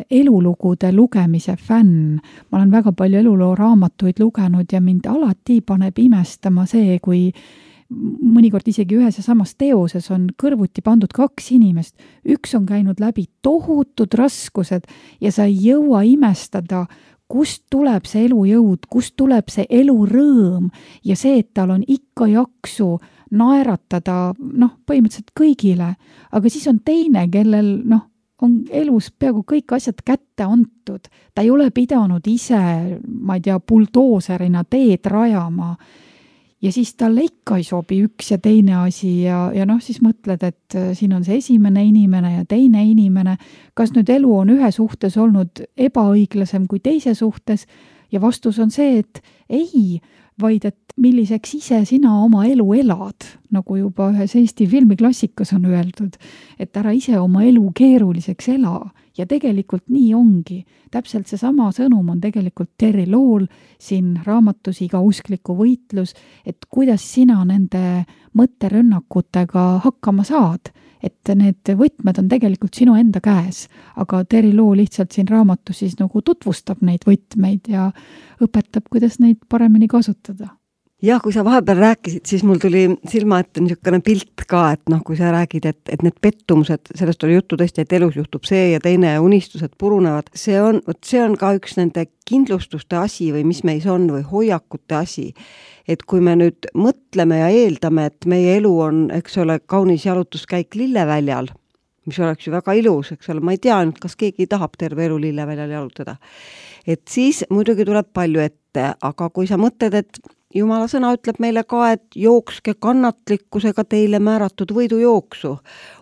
elulugude lugemise fänn. Ma olen väga palju eluloo raamatuid lugenud ja mind alati paneb imestama see, kui mõnikord isegi ühes ja samas teoses on kõrvuti pandud 2 inimest. Üks on käinud läbi tohutud raskused ja sa ei jõua imestada, kust tuleb see elujõud, kust tuleb see elurõõm ja see, et tal on ikka jaksu naeratada, põhimõtteliselt kõigile, aga siis on teine, kellel, on elus peaaegu kõik asjad kätte antud. Ta ei ole pidanud ise, ma ei tea, buldooserina teed rajama. Ja siis talle ikka ei sobi üks ja teine asi ja siis mõtled, et siin on see esimene inimene ja teine inimene. Kas nüüd elu on ühe suhtes olnud ebaõiglasem kui teise suhtes ja vastus on see, et ei, vaid et milliseks ise sina oma elu elad, nagu juba ühes Eesti filmiklassikas on öeldud, et ära ise oma elu keeruliseks ela ja tegelikult nii ongi. Täpselt see sama sõnum on tegelikult Terry Lool siin raamatus Iga uskliku võitlus, et kuidas sina nende mõtterünnakutega hakkama saad, et need võtmed on tegelikult sinu enda käes, aga Terry Loo lihtsalt siin raamatus siis nagu tutvustab neid võtmeid ja õpetab, kuidas neid paremini kasutada. Jah, kui sa vahepeal rääkisid, siis mul tuli silma ette niisugune pilt ka, et kui sa räägid, et need pettumused, sellest oli juttu tõesti, et elus juhtub see ja teine ja unistused purunevad, see on ka üks nende kindlustuste asi või mis meis on või hoiakute asi. Et kui me nüüd mõtleme ja eeldame, et meie elu on, eks ole, kaunis jalutuskäik Lilleväljal, mis oleks ju väga ilus, eks ole, ma ei tea nüüd, kas keegi tahab terve elu Lilleväljal jalutada. Et siis muidugi tuleb palju ette, aga kui sa mõtled, et Jumala sõna ütleb meile ka, et jookske kannatlikkusega teile määratud võidujooksu.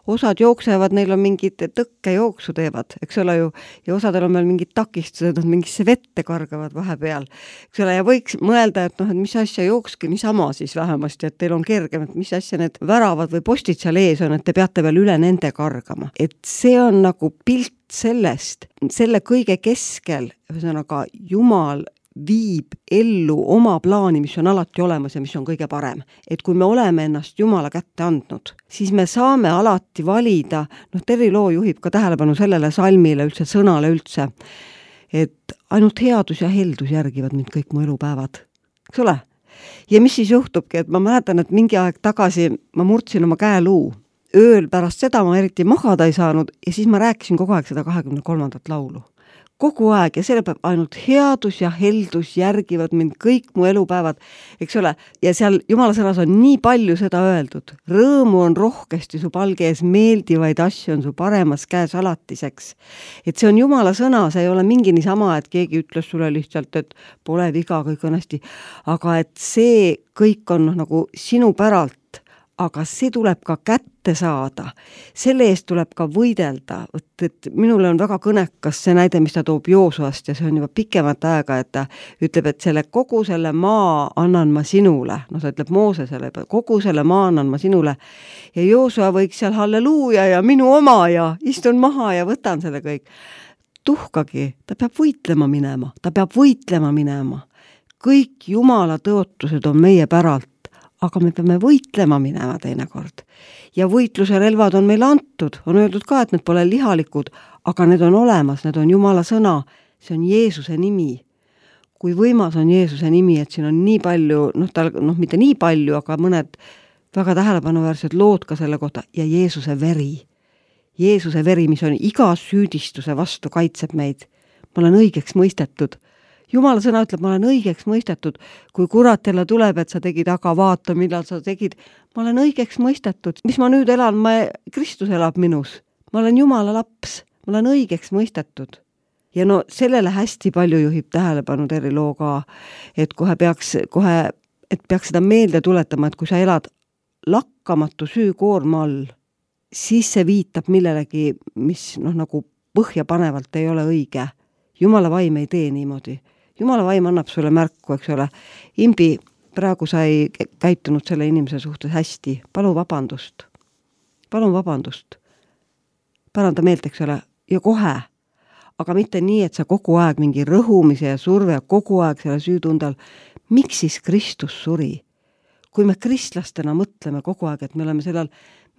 Osad jooksevad, neil on mingid tõkkejooksu teevad, eks ole ju, ja osadel on meil mingid takistused, nad mingisse vette kargavad vahepeal. Eks ole, ja võiks mõelda, et mis asja jookske niisama siis vähemasti, et teil on kergem, et mis asja need väravad või postid seal ees on, et te peate veel üle nende kargama. Et see on nagu pilt sellest, selle kõige keskel, ühesõnaga Jumal viib ellu oma plaani, mis on alati olemas ja mis on kõige parem. Et kui me oleme ennast Jumala kätte andnud, siis me saame alati valida, Terry Loo juhib ka tähelepanu sellele salmile, üldse sõnale üldse, et ainult headus ja heldus järgivad mind kõik mu elupäevad. Eks ole? Ja mis siis juhtubki, et ma mäletan, et mingi aeg tagasi ma murdsin oma käeluu. Ööl pärast seda ma eriti magada ei saanud ja siis ma rääkisin kogu aeg seda 23. laulu. Kogu aeg ja selle peab ainult headus ja heldus järgivad mind kõik mu elupäevad, eks ole, ja seal Jumala sõnas on nii palju seda öeldud. Rõõmu on rohkesti su palge ees, meeldivaid asju on su paremas käes alatiseks. Et see on Jumala sõna, see ei ole mingi niisama, et keegi ütles sulle lihtsalt, et pole viga, kõik on hästi, aga et see kõik on nagu sinu päralt, aga see tuleb ka kätte saada. Selle eest tuleb ka võidelda. Et minule on väga kõnekas see näide, mis ta toob Joosuast ja see on juba pikemat aega, et ta ütleb, et kogu selle maa annan ma sinule. Ta ütleb Moosesele, kogu selle maa annan ma sinule. Ja Joosua võiks seal halleluuja ja minu oma ja istun maha ja võtan selle kõik. Tuhkagi, ta peab võitlema minema. Kõik Jumala tõotused on meie päralt. Aga me peame võitlema minema teinekord. Ja võitluse relvad on meil antud, on öeldud ka, et need pole lihalikud, aga need on olemas, need on Jumala sõna, see on Jeesuse nimi. Kui võimas on Jeesuse nimi, et siin on nii palju, mitte nii palju, aga mõned väga tähelepanuväärsed lood ka selle kohta ja Jeesuse veri. Jeesuse veri, mis on iga süüdistuse vastu kaitseb meid. Ma olen õigeks mõistetud. Jumala sõna ütleb, ma olen õigeks mõistetud, kui kurat jälle tuleb, et sa tegid, aga vaata, millal sa tegid. Ma olen õigeks mõistetud. Mis ma nüüd elan? Kristus elab minus. Ma olen Jumala laps. Ma olen õigeks mõistetud. Ja sellele hästi palju juhib tähelepanu Terry Loo ka, et peaks seda meelde tuletama, et kui sa elad lakkamatu süükoorma all, siis see viitab millelegi, mis nagu põhjapanevalt ei ole õige. Jumala vaim ei tee niimoodi. Jumala vaim annab sulle märku, eks ole. Imbi, praegu sa ei käitunud selle inimese suhtes hästi. Palun vabandust. Päranda meelt, eks ole. Ja kohe. Aga mitte nii, et sa kogu aeg mingi rõhumise ja surve ja kogu aeg selle süütundal. Miks siis Kristus suri? Kui me kristlastena mõtleme kogu aeg, et me oleme sellel,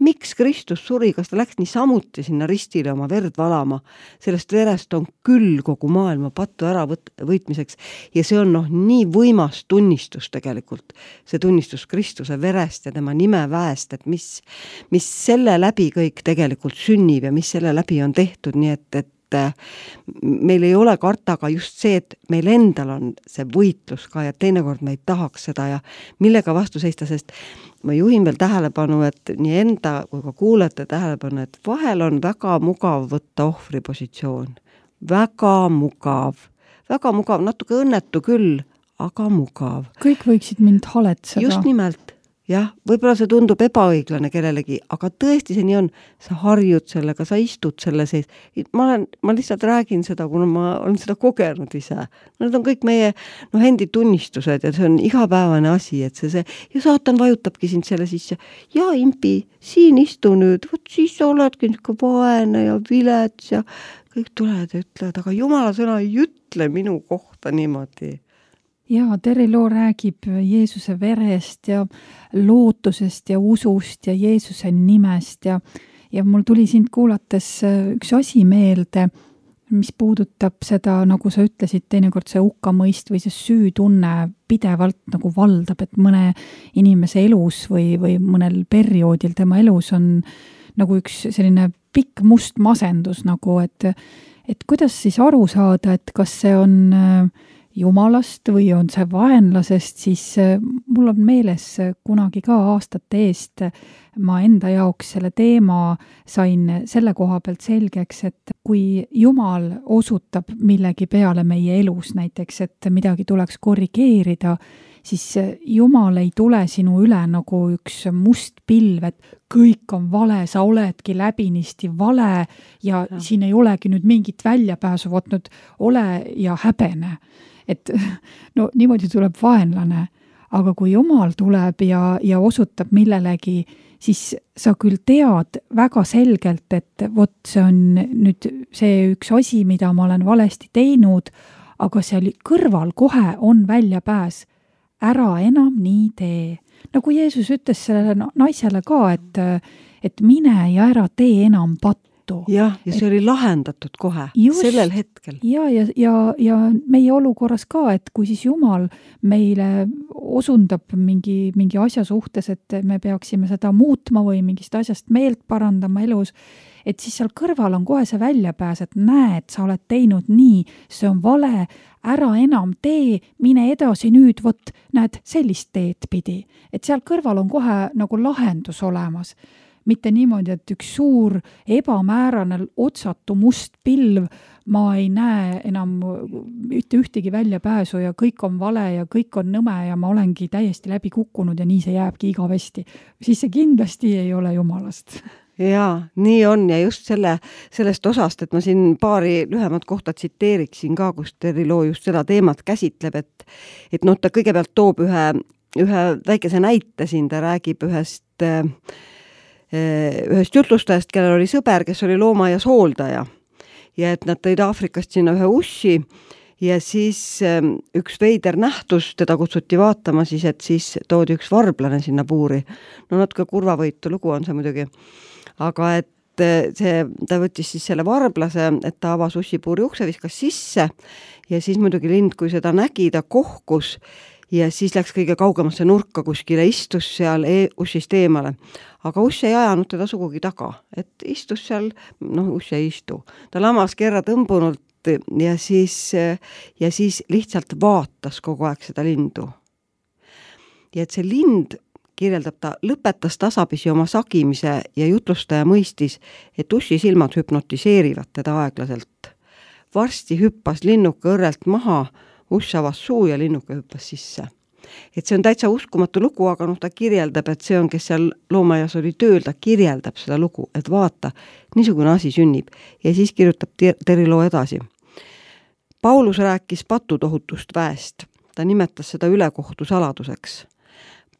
miks Kristus suri, kas ta läks nii samuti sinna ristile oma verd valama, sellest verest on küll kogu maailma pattu ära võitmiseks ja see on nii võimas tunnistus tegelikult, see tunnistus Kristuse verest ja tema nime väest, et mis selle läbi kõik tegelikult sünnib ja mis selle läbi on tehtud, nii et meil ei ole karta, aga just see, et meil endal on see võitlus ka ja teinekord me ei tahaks seda ja millega vastu seista, sest ma juhin veel tähelepanu, et nii enda kui ka kuulajate tähelepanu, et vahel on väga mugav võtta ohvripositsioon. Väga mugav, natuke õnnetu küll, aga mugav. Kõik võiksid mind haletseda. Just nimelt. Jah, võib-olla see tundub ebaõiglane kellelegi, aga tõesti see nii on. Sa harjud sellega, sa istud selle sees. Ma lihtsalt räägin seda, kuna ma olen seda kogenud ise. Need on kõik meie endi tunnistused ja see on igapäevane asi, et see ja saatan vajutabki sind selle sisse. Ja impi, siin istu nüüd, võt siis sa oledki niisugune vaene ja vilets ja kõik tulevad ja ütlevad, aga Jumala sõna ei ütle minu kohta niimoodi. Ja Terri Loo räägib Jeesuse verest ja lootusest ja usust ja Jeesuse nimest ja mul tuli sind kuulates üks asi meelde, mis puudutab seda, nagu sa ütlesid, teinekord see hukkamõist või see süütunne pidevalt nagu valdab, et mõne inimese elus või mõnel perioodil tema elus on nagu üks selline pikk must masendus nagu, et kuidas siis aru saada, et kas see on Jumalast või on see vaenlasest, siis mul on meeles kunagi ka aastate eest ma enda jaoks selle teema sain selle koha pealt selgeks, et kui Jumal osutab millegi peale meie elus näiteks, et midagi tuleks korrigeerida, siis Jumal ei tule sinu üle nagu üks must pilv, et kõik on vale, sa oledki läbinisti vale ja siin ei olegi nüüd mingit väljapääsu, vot nüüd ole ja häbene. Et no niimoodi tuleb vaenlane, aga kui Jumal tuleb ja osutab millelegi, siis sa küll tead väga selgelt, et vot see on nüüd see üks asi, mida ma olen valesti teinud, aga seal kõrval kohe on väljapääs. Ära enam nii tee. Nagu Jeesus ütles sellele naisele ka, et mine ja ära tee enam pattu. Jah, ja see oli lahendatud kohe, sellel hetkel. Ja meie olukorras ka, et kui siis Jumal meile osundab mingi asja suhtes, et me peaksime seda muutma või mingist asjast meelt parandama elus, et siis seal kõrval on kohe see väljapääs, et näed, sa oled teinud nii, see on vale, ära enam tee, mine edasi nüüd, vot näed sellist teed pidi. Et seal kõrval on kohe nagu lahendus olemas. Mitte niimoodi, et üks suur ebamäärane otsatu must pilv, ma ei näe enam ühtegi väljapääsu ja kõik on vale ja kõik on nõme ja ma olengi täiesti läbi kukkunud ja nii see jääbki igavesti. Siis see kindlasti ei ole Jumalast. Jaa, nii on ja just sellest osast, et ma siin paari lühemat kohta tsiteeriksin ka, kus Terri Loo just seda teemat käsitleb, et ta kõigepealt toob ühe väikese näite siin, ta räägib ühest jutlustajast, kellel oli sõber, kes oli loomaaias hooldaja ja et nad tõid Aafrikast sinna ühe ussi ja siis üks veider nähtus, teda kutsuti vaatama siis, et siis toodi üks varblane sinna puuri. No natuke kurvavõitu lugu on see muidugi, aga et ta võttis siis selle varblase, et ta avas ussipuuri ukse, viskas sisse ja siis muidugi lind, kui seda nägi, ta kohkus ja siis läks kõige kaugemasse nurka kuskile, istus seal ussist eemale. Aga uss ei ajanud teda sugugi taga, et istus seal, uss ei istu. Ta lamas kerra tõmbunult ja siis lihtsalt vaatas kogu aeg seda lindu. Ja et see lind, kirjeldab ta, lõpetas tasapisi oma sagimise ja jutlustaja mõistis, et ussi silmad hüpnotiseerivad teda aeglaselt. Varsti hüppas linnuka õrrelt maha, uss avas suu ja linnuke hüppas sisse. Et see on täitsa uskumatu lugu, aga ta kirjeldab, et see on, kes seal loomaaias oli tööl, ta kirjeldab seda lugu, et vaata, niisugune asi sünnib. Ja siis kirjutab Terri Loo edasi. Paulus rääkis patutohutust väest. Ta nimetas seda ülekohtu saladuseks.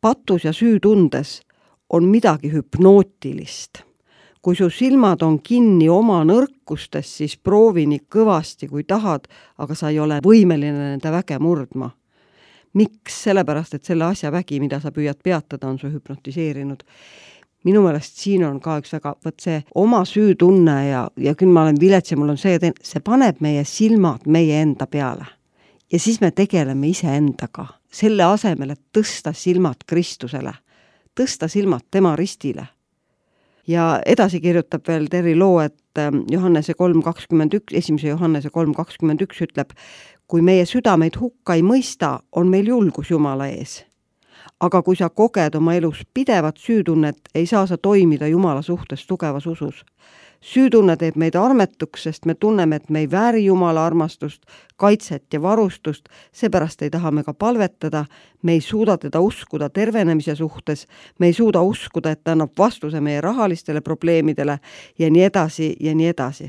Patus ja süütundes on midagi hüpnootilist. Kui su silmad on kinni oma nõrkustes, siis proovi nii kõvasti, kui tahad, aga sa ei ole võimeline nende väge murdma. Miks? Sellepärast, et selle asja vägi, mida sa püüad peatada, on su hüpnotiseerinud. Minu meelest siin on ka üks väga, see oma süütunne ja küll ma olen vilets ja mul on see paneb meie silmad meie enda peale. Ja siis me tegeleme ise endaga. Selle asemel, et tõsta silmad Kristusele, tõsta silmad tema ristile. Ja edasi kirjutab veel Terri Loo, et Johannese 3.21, 1. Johannese 3.21 ütleb, kui meie südameid hukka ei mõista, on meil julgus Jumala ees. Aga kui sa koged oma elus pidevat süütunnet, ei saa sa toimida Jumala suhtes tugevas usus. Süütunne teeb meid armetuks, sest me tunneme, et me ei vääri Jumala armastust, kaitset ja varustust, seepärast ei taha me ka palvetada, me ei suuda teda uskuda tervenemise suhtes, me ei suuda uskuda, et ta annab vastuse meie rahalistele probleemidele ja nii edasi ja nii edasi.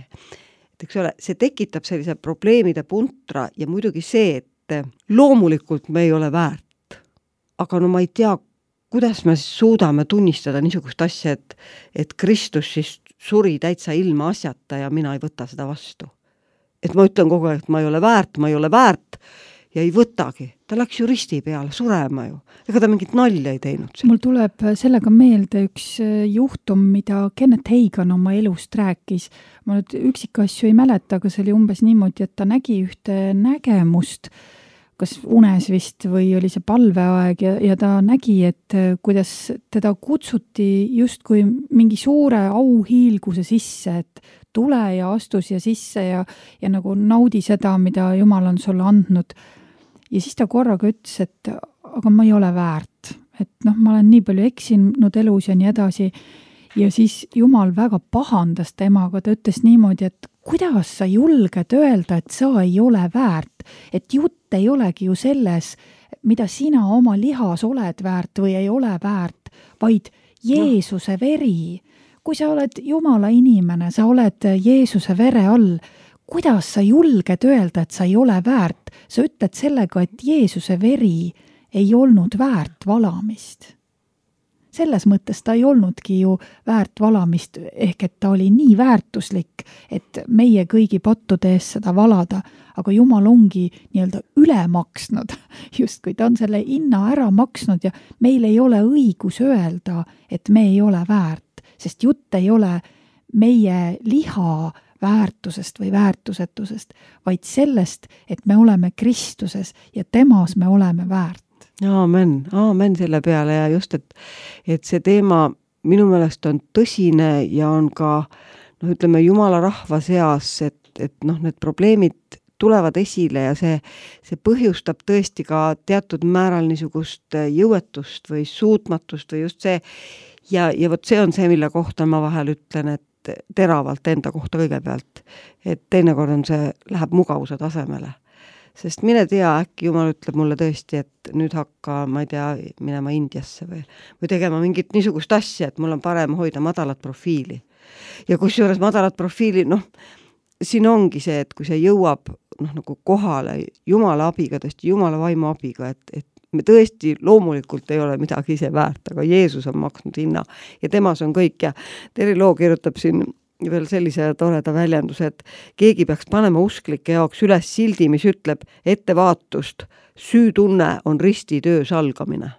Et eks ole, see tekitab sellise probleemide puntra ja muidugi see, et loomulikult me ei ole väärt. Aga no ma ei tea, kuidas me suudame tunnistada niisugust asja, et Kristus siis suri täitsa ilma asjata ja mina ei võta seda vastu. Et ma ütlen kogu aeg, et ma ei ole väärt ja ei võtagi. Ta läks ju risti peale surema ju. Ega ta mingit nalja ei teinud. Mul tuleb sellega meelde üks juhtum, mida Kenneth Hagan oma elust rääkis. Ma nüüd üksikasju ei mäleta, aga see oli umbes niimoodi, et ta nägi ühte nägemust, kas unes vist või oli see palveaeg ja ta nägi, et kuidas teda kutsuti justkui mingi suure auhiilguse sisse, et tule ja astu siia sisse ja nagu naudi seda, mida Jumal on sulle andnud. Ja siis ta korraga ütles, et aga ma ei ole väärt, et ma olen nii palju eksinud elus ja nii edasi. Ja siis Jumal väga pahandas temaga, ta ütles niimoodi, et kuidas sa julged öelda, et sa ei ole väärt, et jutt ei olegi ju selles, mida sina oma lihas oled väärt või ei ole väärt, vaid Jeesuse veri. Kui sa oled Jumala inimene, sa oled Jeesuse vere all, kuidas sa julged öelda, et sa ei ole väärt? Sa ütled sellega, et Jeesuse veri ei olnud väärt valamist. Selles mõttes ta ei olnudki ju väärt valamist, ehk et ta oli nii väärtuslik, et meie kõigi pattude ees seda valada, aga Jumal ongi nii-öelda üle maksnud, just kui ta on selle hinna ära maksnud ja meil ei ole õigus öelda, et me ei ole väärt, sest jutt ei ole meie liha väärtusest või väärtusetusest, vaid sellest, et me oleme Kristuses ja temas me oleme väärt. Aamen selle peale ja just, et see teema minu meelest on tõsine ja on ka, ütleme, Jumala rahva seas, et need probleemid tulevad esile ja see põhjustab tõesti ka teatud määral niisugust jõuetust või suutmatust või just see ja vot see on see, mille kohta ma vahel ütlen, et teravalt enda kohta kõigepealt, et teinekord on see, läheb mugavuse tasemele. Sest mine tea, äkki Jumal ütleb mulle tõesti, et nüüd hakka, ma ei tea, minema Indiasse või tegema mingit niisugust asja, et mul on parem hoida madalat profiili. Ja kusjuures madalat profiili, siin ongi see, et kui see jõuab nagu kohale Jumala abiga, tõesti Jumala vaimu abiga, et me tõesti loomulikult ei ole midagi ise väärt, aga Jeesus on maksnud hinna ja temas on kõik ja Terri Loo kirjutab siin veel sellise toreda väljenduse, et keegi peaks panema usklike jaoks üles sildi, mis ütleb ettevaatust, süütunne on ristitöö salgamine.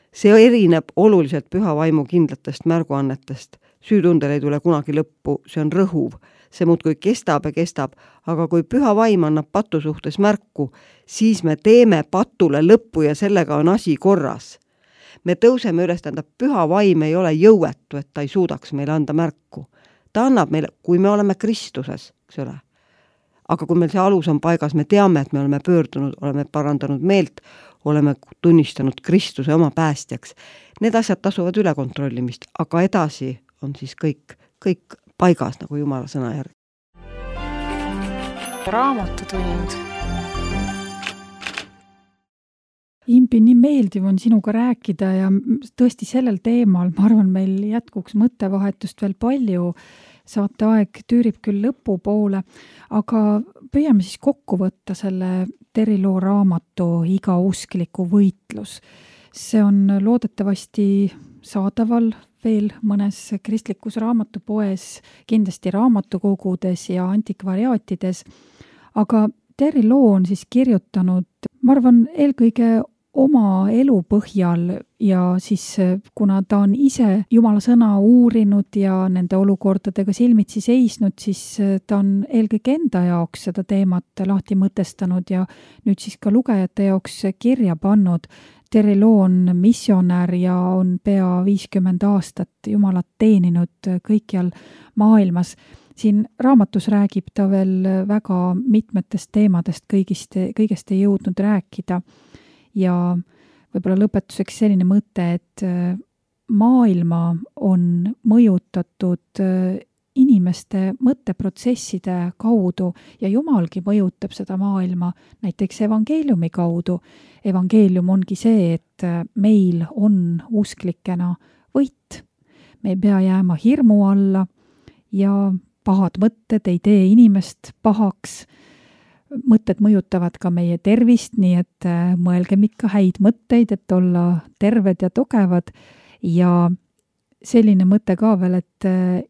See erineb oluliselt püha vaimu kindlatest märguannetest. Süütundel ei tule kunagi lõppu, see on rõhuv. See muudkui kestab ja kestab, aga kui püha vaim annab patu suhtes märku, siis me teeme patule lõppu ja sellega on asi korras. Me tõuseme üles, tähendab, püha vaim ei ole jõuetu, et ta ei suudaks meile anda märku. Ta annab meile, kui me oleme Kristuses, eks ole. Aga kui meil see alus on paigas, me teame, et me oleme pöördunud, oleme parandanud meelt, oleme tunnistanud Kristuse oma päästjaks. Need asjad tasuvad üle kontrollimist, aga edasi on siis kõik paigas nagu Jumala sõna järgi. Raamatutund. Impi, nii meeldiv on sinuga rääkida ja tõesti sellel teemal, ma arvan, meil jätkuks mõttevahetust veel palju. Saateaeg tüürib küll lõpu poole, aga püüame siis kokku võtta selle Terri Loo raamatu Iga uskliku võitlus. See on loodetavasti saadaval veel mõnes kristlikus raamatupoes, kindlasti raamatukogudes ja antikvariaatides, aga Terri Loo on siis kirjutanud, ma arvan, eelkõige oma elu põhjal ja siis kuna ta on ise Jumala sõna uurinud ja nende olukordadega silmitsi seisnud, siis ta on eelkõige enda jaoks seda teemat lahti mõtestanud ja nüüd siis ka lugejate jaoks kirja pannud. Terry Loo on missionär ja on pea 50 aastat Jumalat teeninud kõikjal maailmas. Siin raamatus räägib ta veel väga mitmetest teemadest, kõigest ei jõudnud rääkida. Ja võib-olla lõpetuseks selline mõte, et maailma on mõjutatud inimeste mõtteprotsesside kaudu ja Jumalgi mõjutab seda maailma näiteks evangeeliumi kaudu. Evangeelium ongi see, et meil on usklikena võit. Me ei pea jääma hirmu alla ja pahad mõtted ei tee inimest pahaks. Mõtted mõjutavad ka meie tervist, nii et mõelgem ikka häid mõtteid, et olla terved ja tugevad. Ja selline mõte ka veel, et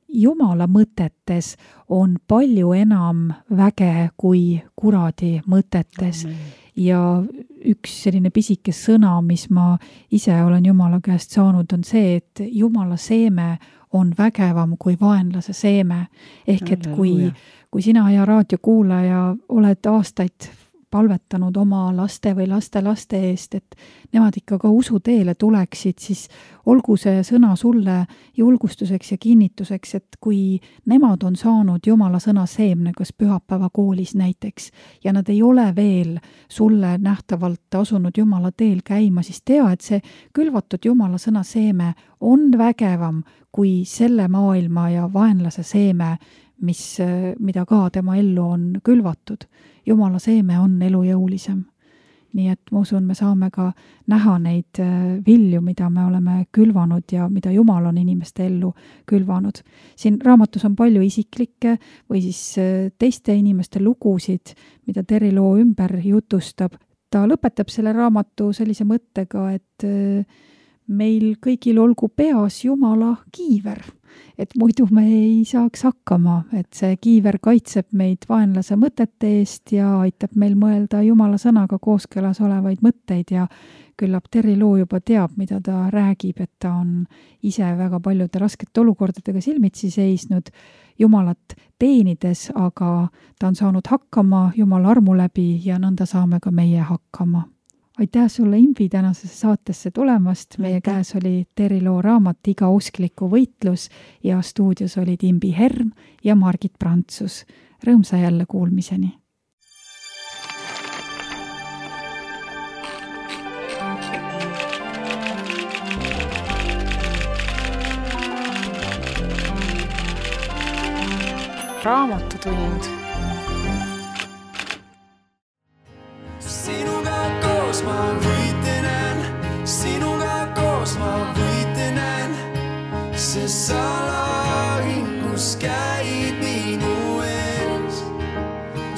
Jumala mõtetes on palju enam väge kui kuradi mõtetes. Ja üks selline pisike sõna, mis ma ise olen Jumala käest saanud, on see, et Jumala seeme on vägevam kui vaenlase seeme. Ehk et kui sina ja raadiokuulaja oled aastaid palvetanud oma laste või laste eest, et nemad ikka ka usuteele tuleksid, siis olgu see sõna sulle julgustuseks ja kinnituseks, et kui nemad on saanud Jumala sõna seemne, kas pühapäeva koolis näiteks, ja nad ei ole veel sulle nähtavalt asunud Jumala teel käima, siis tea, et see külvatud Jumala sõna seeme on vägevam kui selle maailma ja vaenlase seeme, mida ka tema ellu on külvatud. Jumala seeme on elujõulisem. Nii et ma usun, me saame ka näha neid vilju, mida me oleme külvanud ja mida Jumal on inimeste ellu külvanud. Siin raamatus on palju isiklikke või siis teiste inimeste lugusid, mida Terry Loo ümber jutustab. Ta lõpetab selle raamatu sellise mõttega, et meil kõigil olgu peas Jumala kiiver. Et muidu me ei saaks hakkama, et see kiiver kaitseb meid vaenlase mõtete eest ja aitab meil mõelda Jumala sõnaga kooskõlas olevaid mõtteid ja küllap Terry Loo juba teab, mida ta räägib, et ta on ise väga paljude raskete olukordadega silmitsi seisnud Jumalat teenides, aga ta on saanud hakkama Jumala armu läbi ja nõnda saame ka meie hakkama. Aitäh sulle, Imbi, tänasesse saatesse tulemast. Meie käes oli Terry Loo raamat Iga uskliku võitlus ja stuudios olid Imbi Herm ja Margit Prantsus. Rõõmsa jälle kuulmiseni. Raamatutund. Ma võitlen, sinuga koos ma võitlen, sest sa lahingus käid minu ees.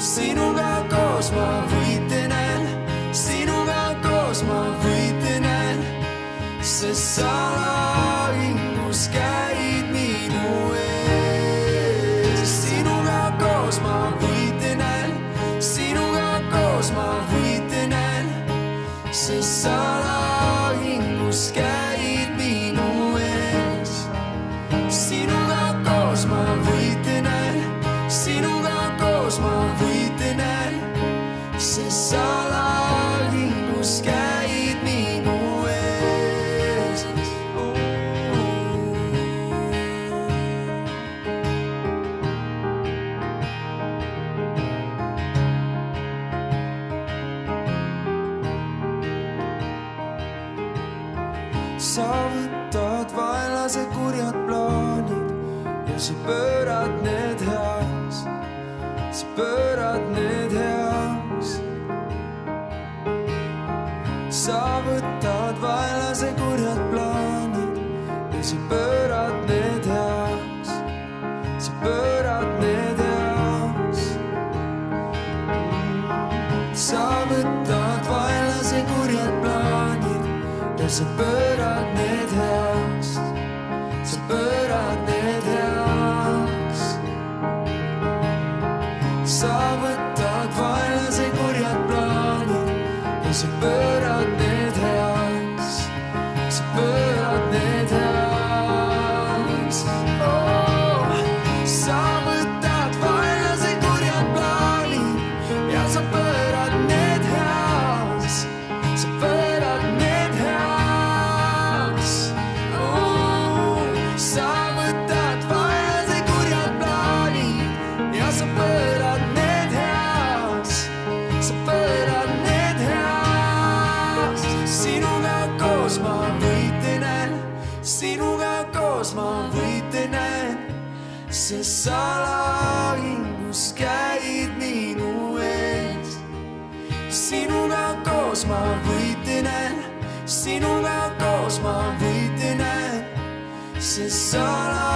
Sinuga koos ma võitlen, sinuga koos ma võitlen, sest sa lahingus käid minu ees. Sinuga koos ma võitlen, sinuga koos ma võitlen, sest sa lahingus käid minu ees. Sinuga koos ma võitlen, sinuga koos ma võitlen, sest sa lahingus käid minu ees. Sa võtad vaenlase kurjad plaanid ja sa pöörad need heaks. Sa pöörad need heaks. Sa võtad vaenlase kurjad plaanid ja sa pöörad need heaks. Sa pöörad need heaks. Sa võtad vaenlase kurjad plaanid ja sa pöörad need heaks. Sa pöörad need heaks. Sa võtad vaenlase kurjad plaanid ja sa pöörad need heaks. Sa pöörad need heaks. Oh, sa võtad vaenlase kurjad plaanid ja sa pöörad need heaks. Sa pöörad need sinuga koos ma võite näen, sest sa lahingus käid minu ees. sinuga koos ma võite näen, sinuga koos ma võite näen, sest sa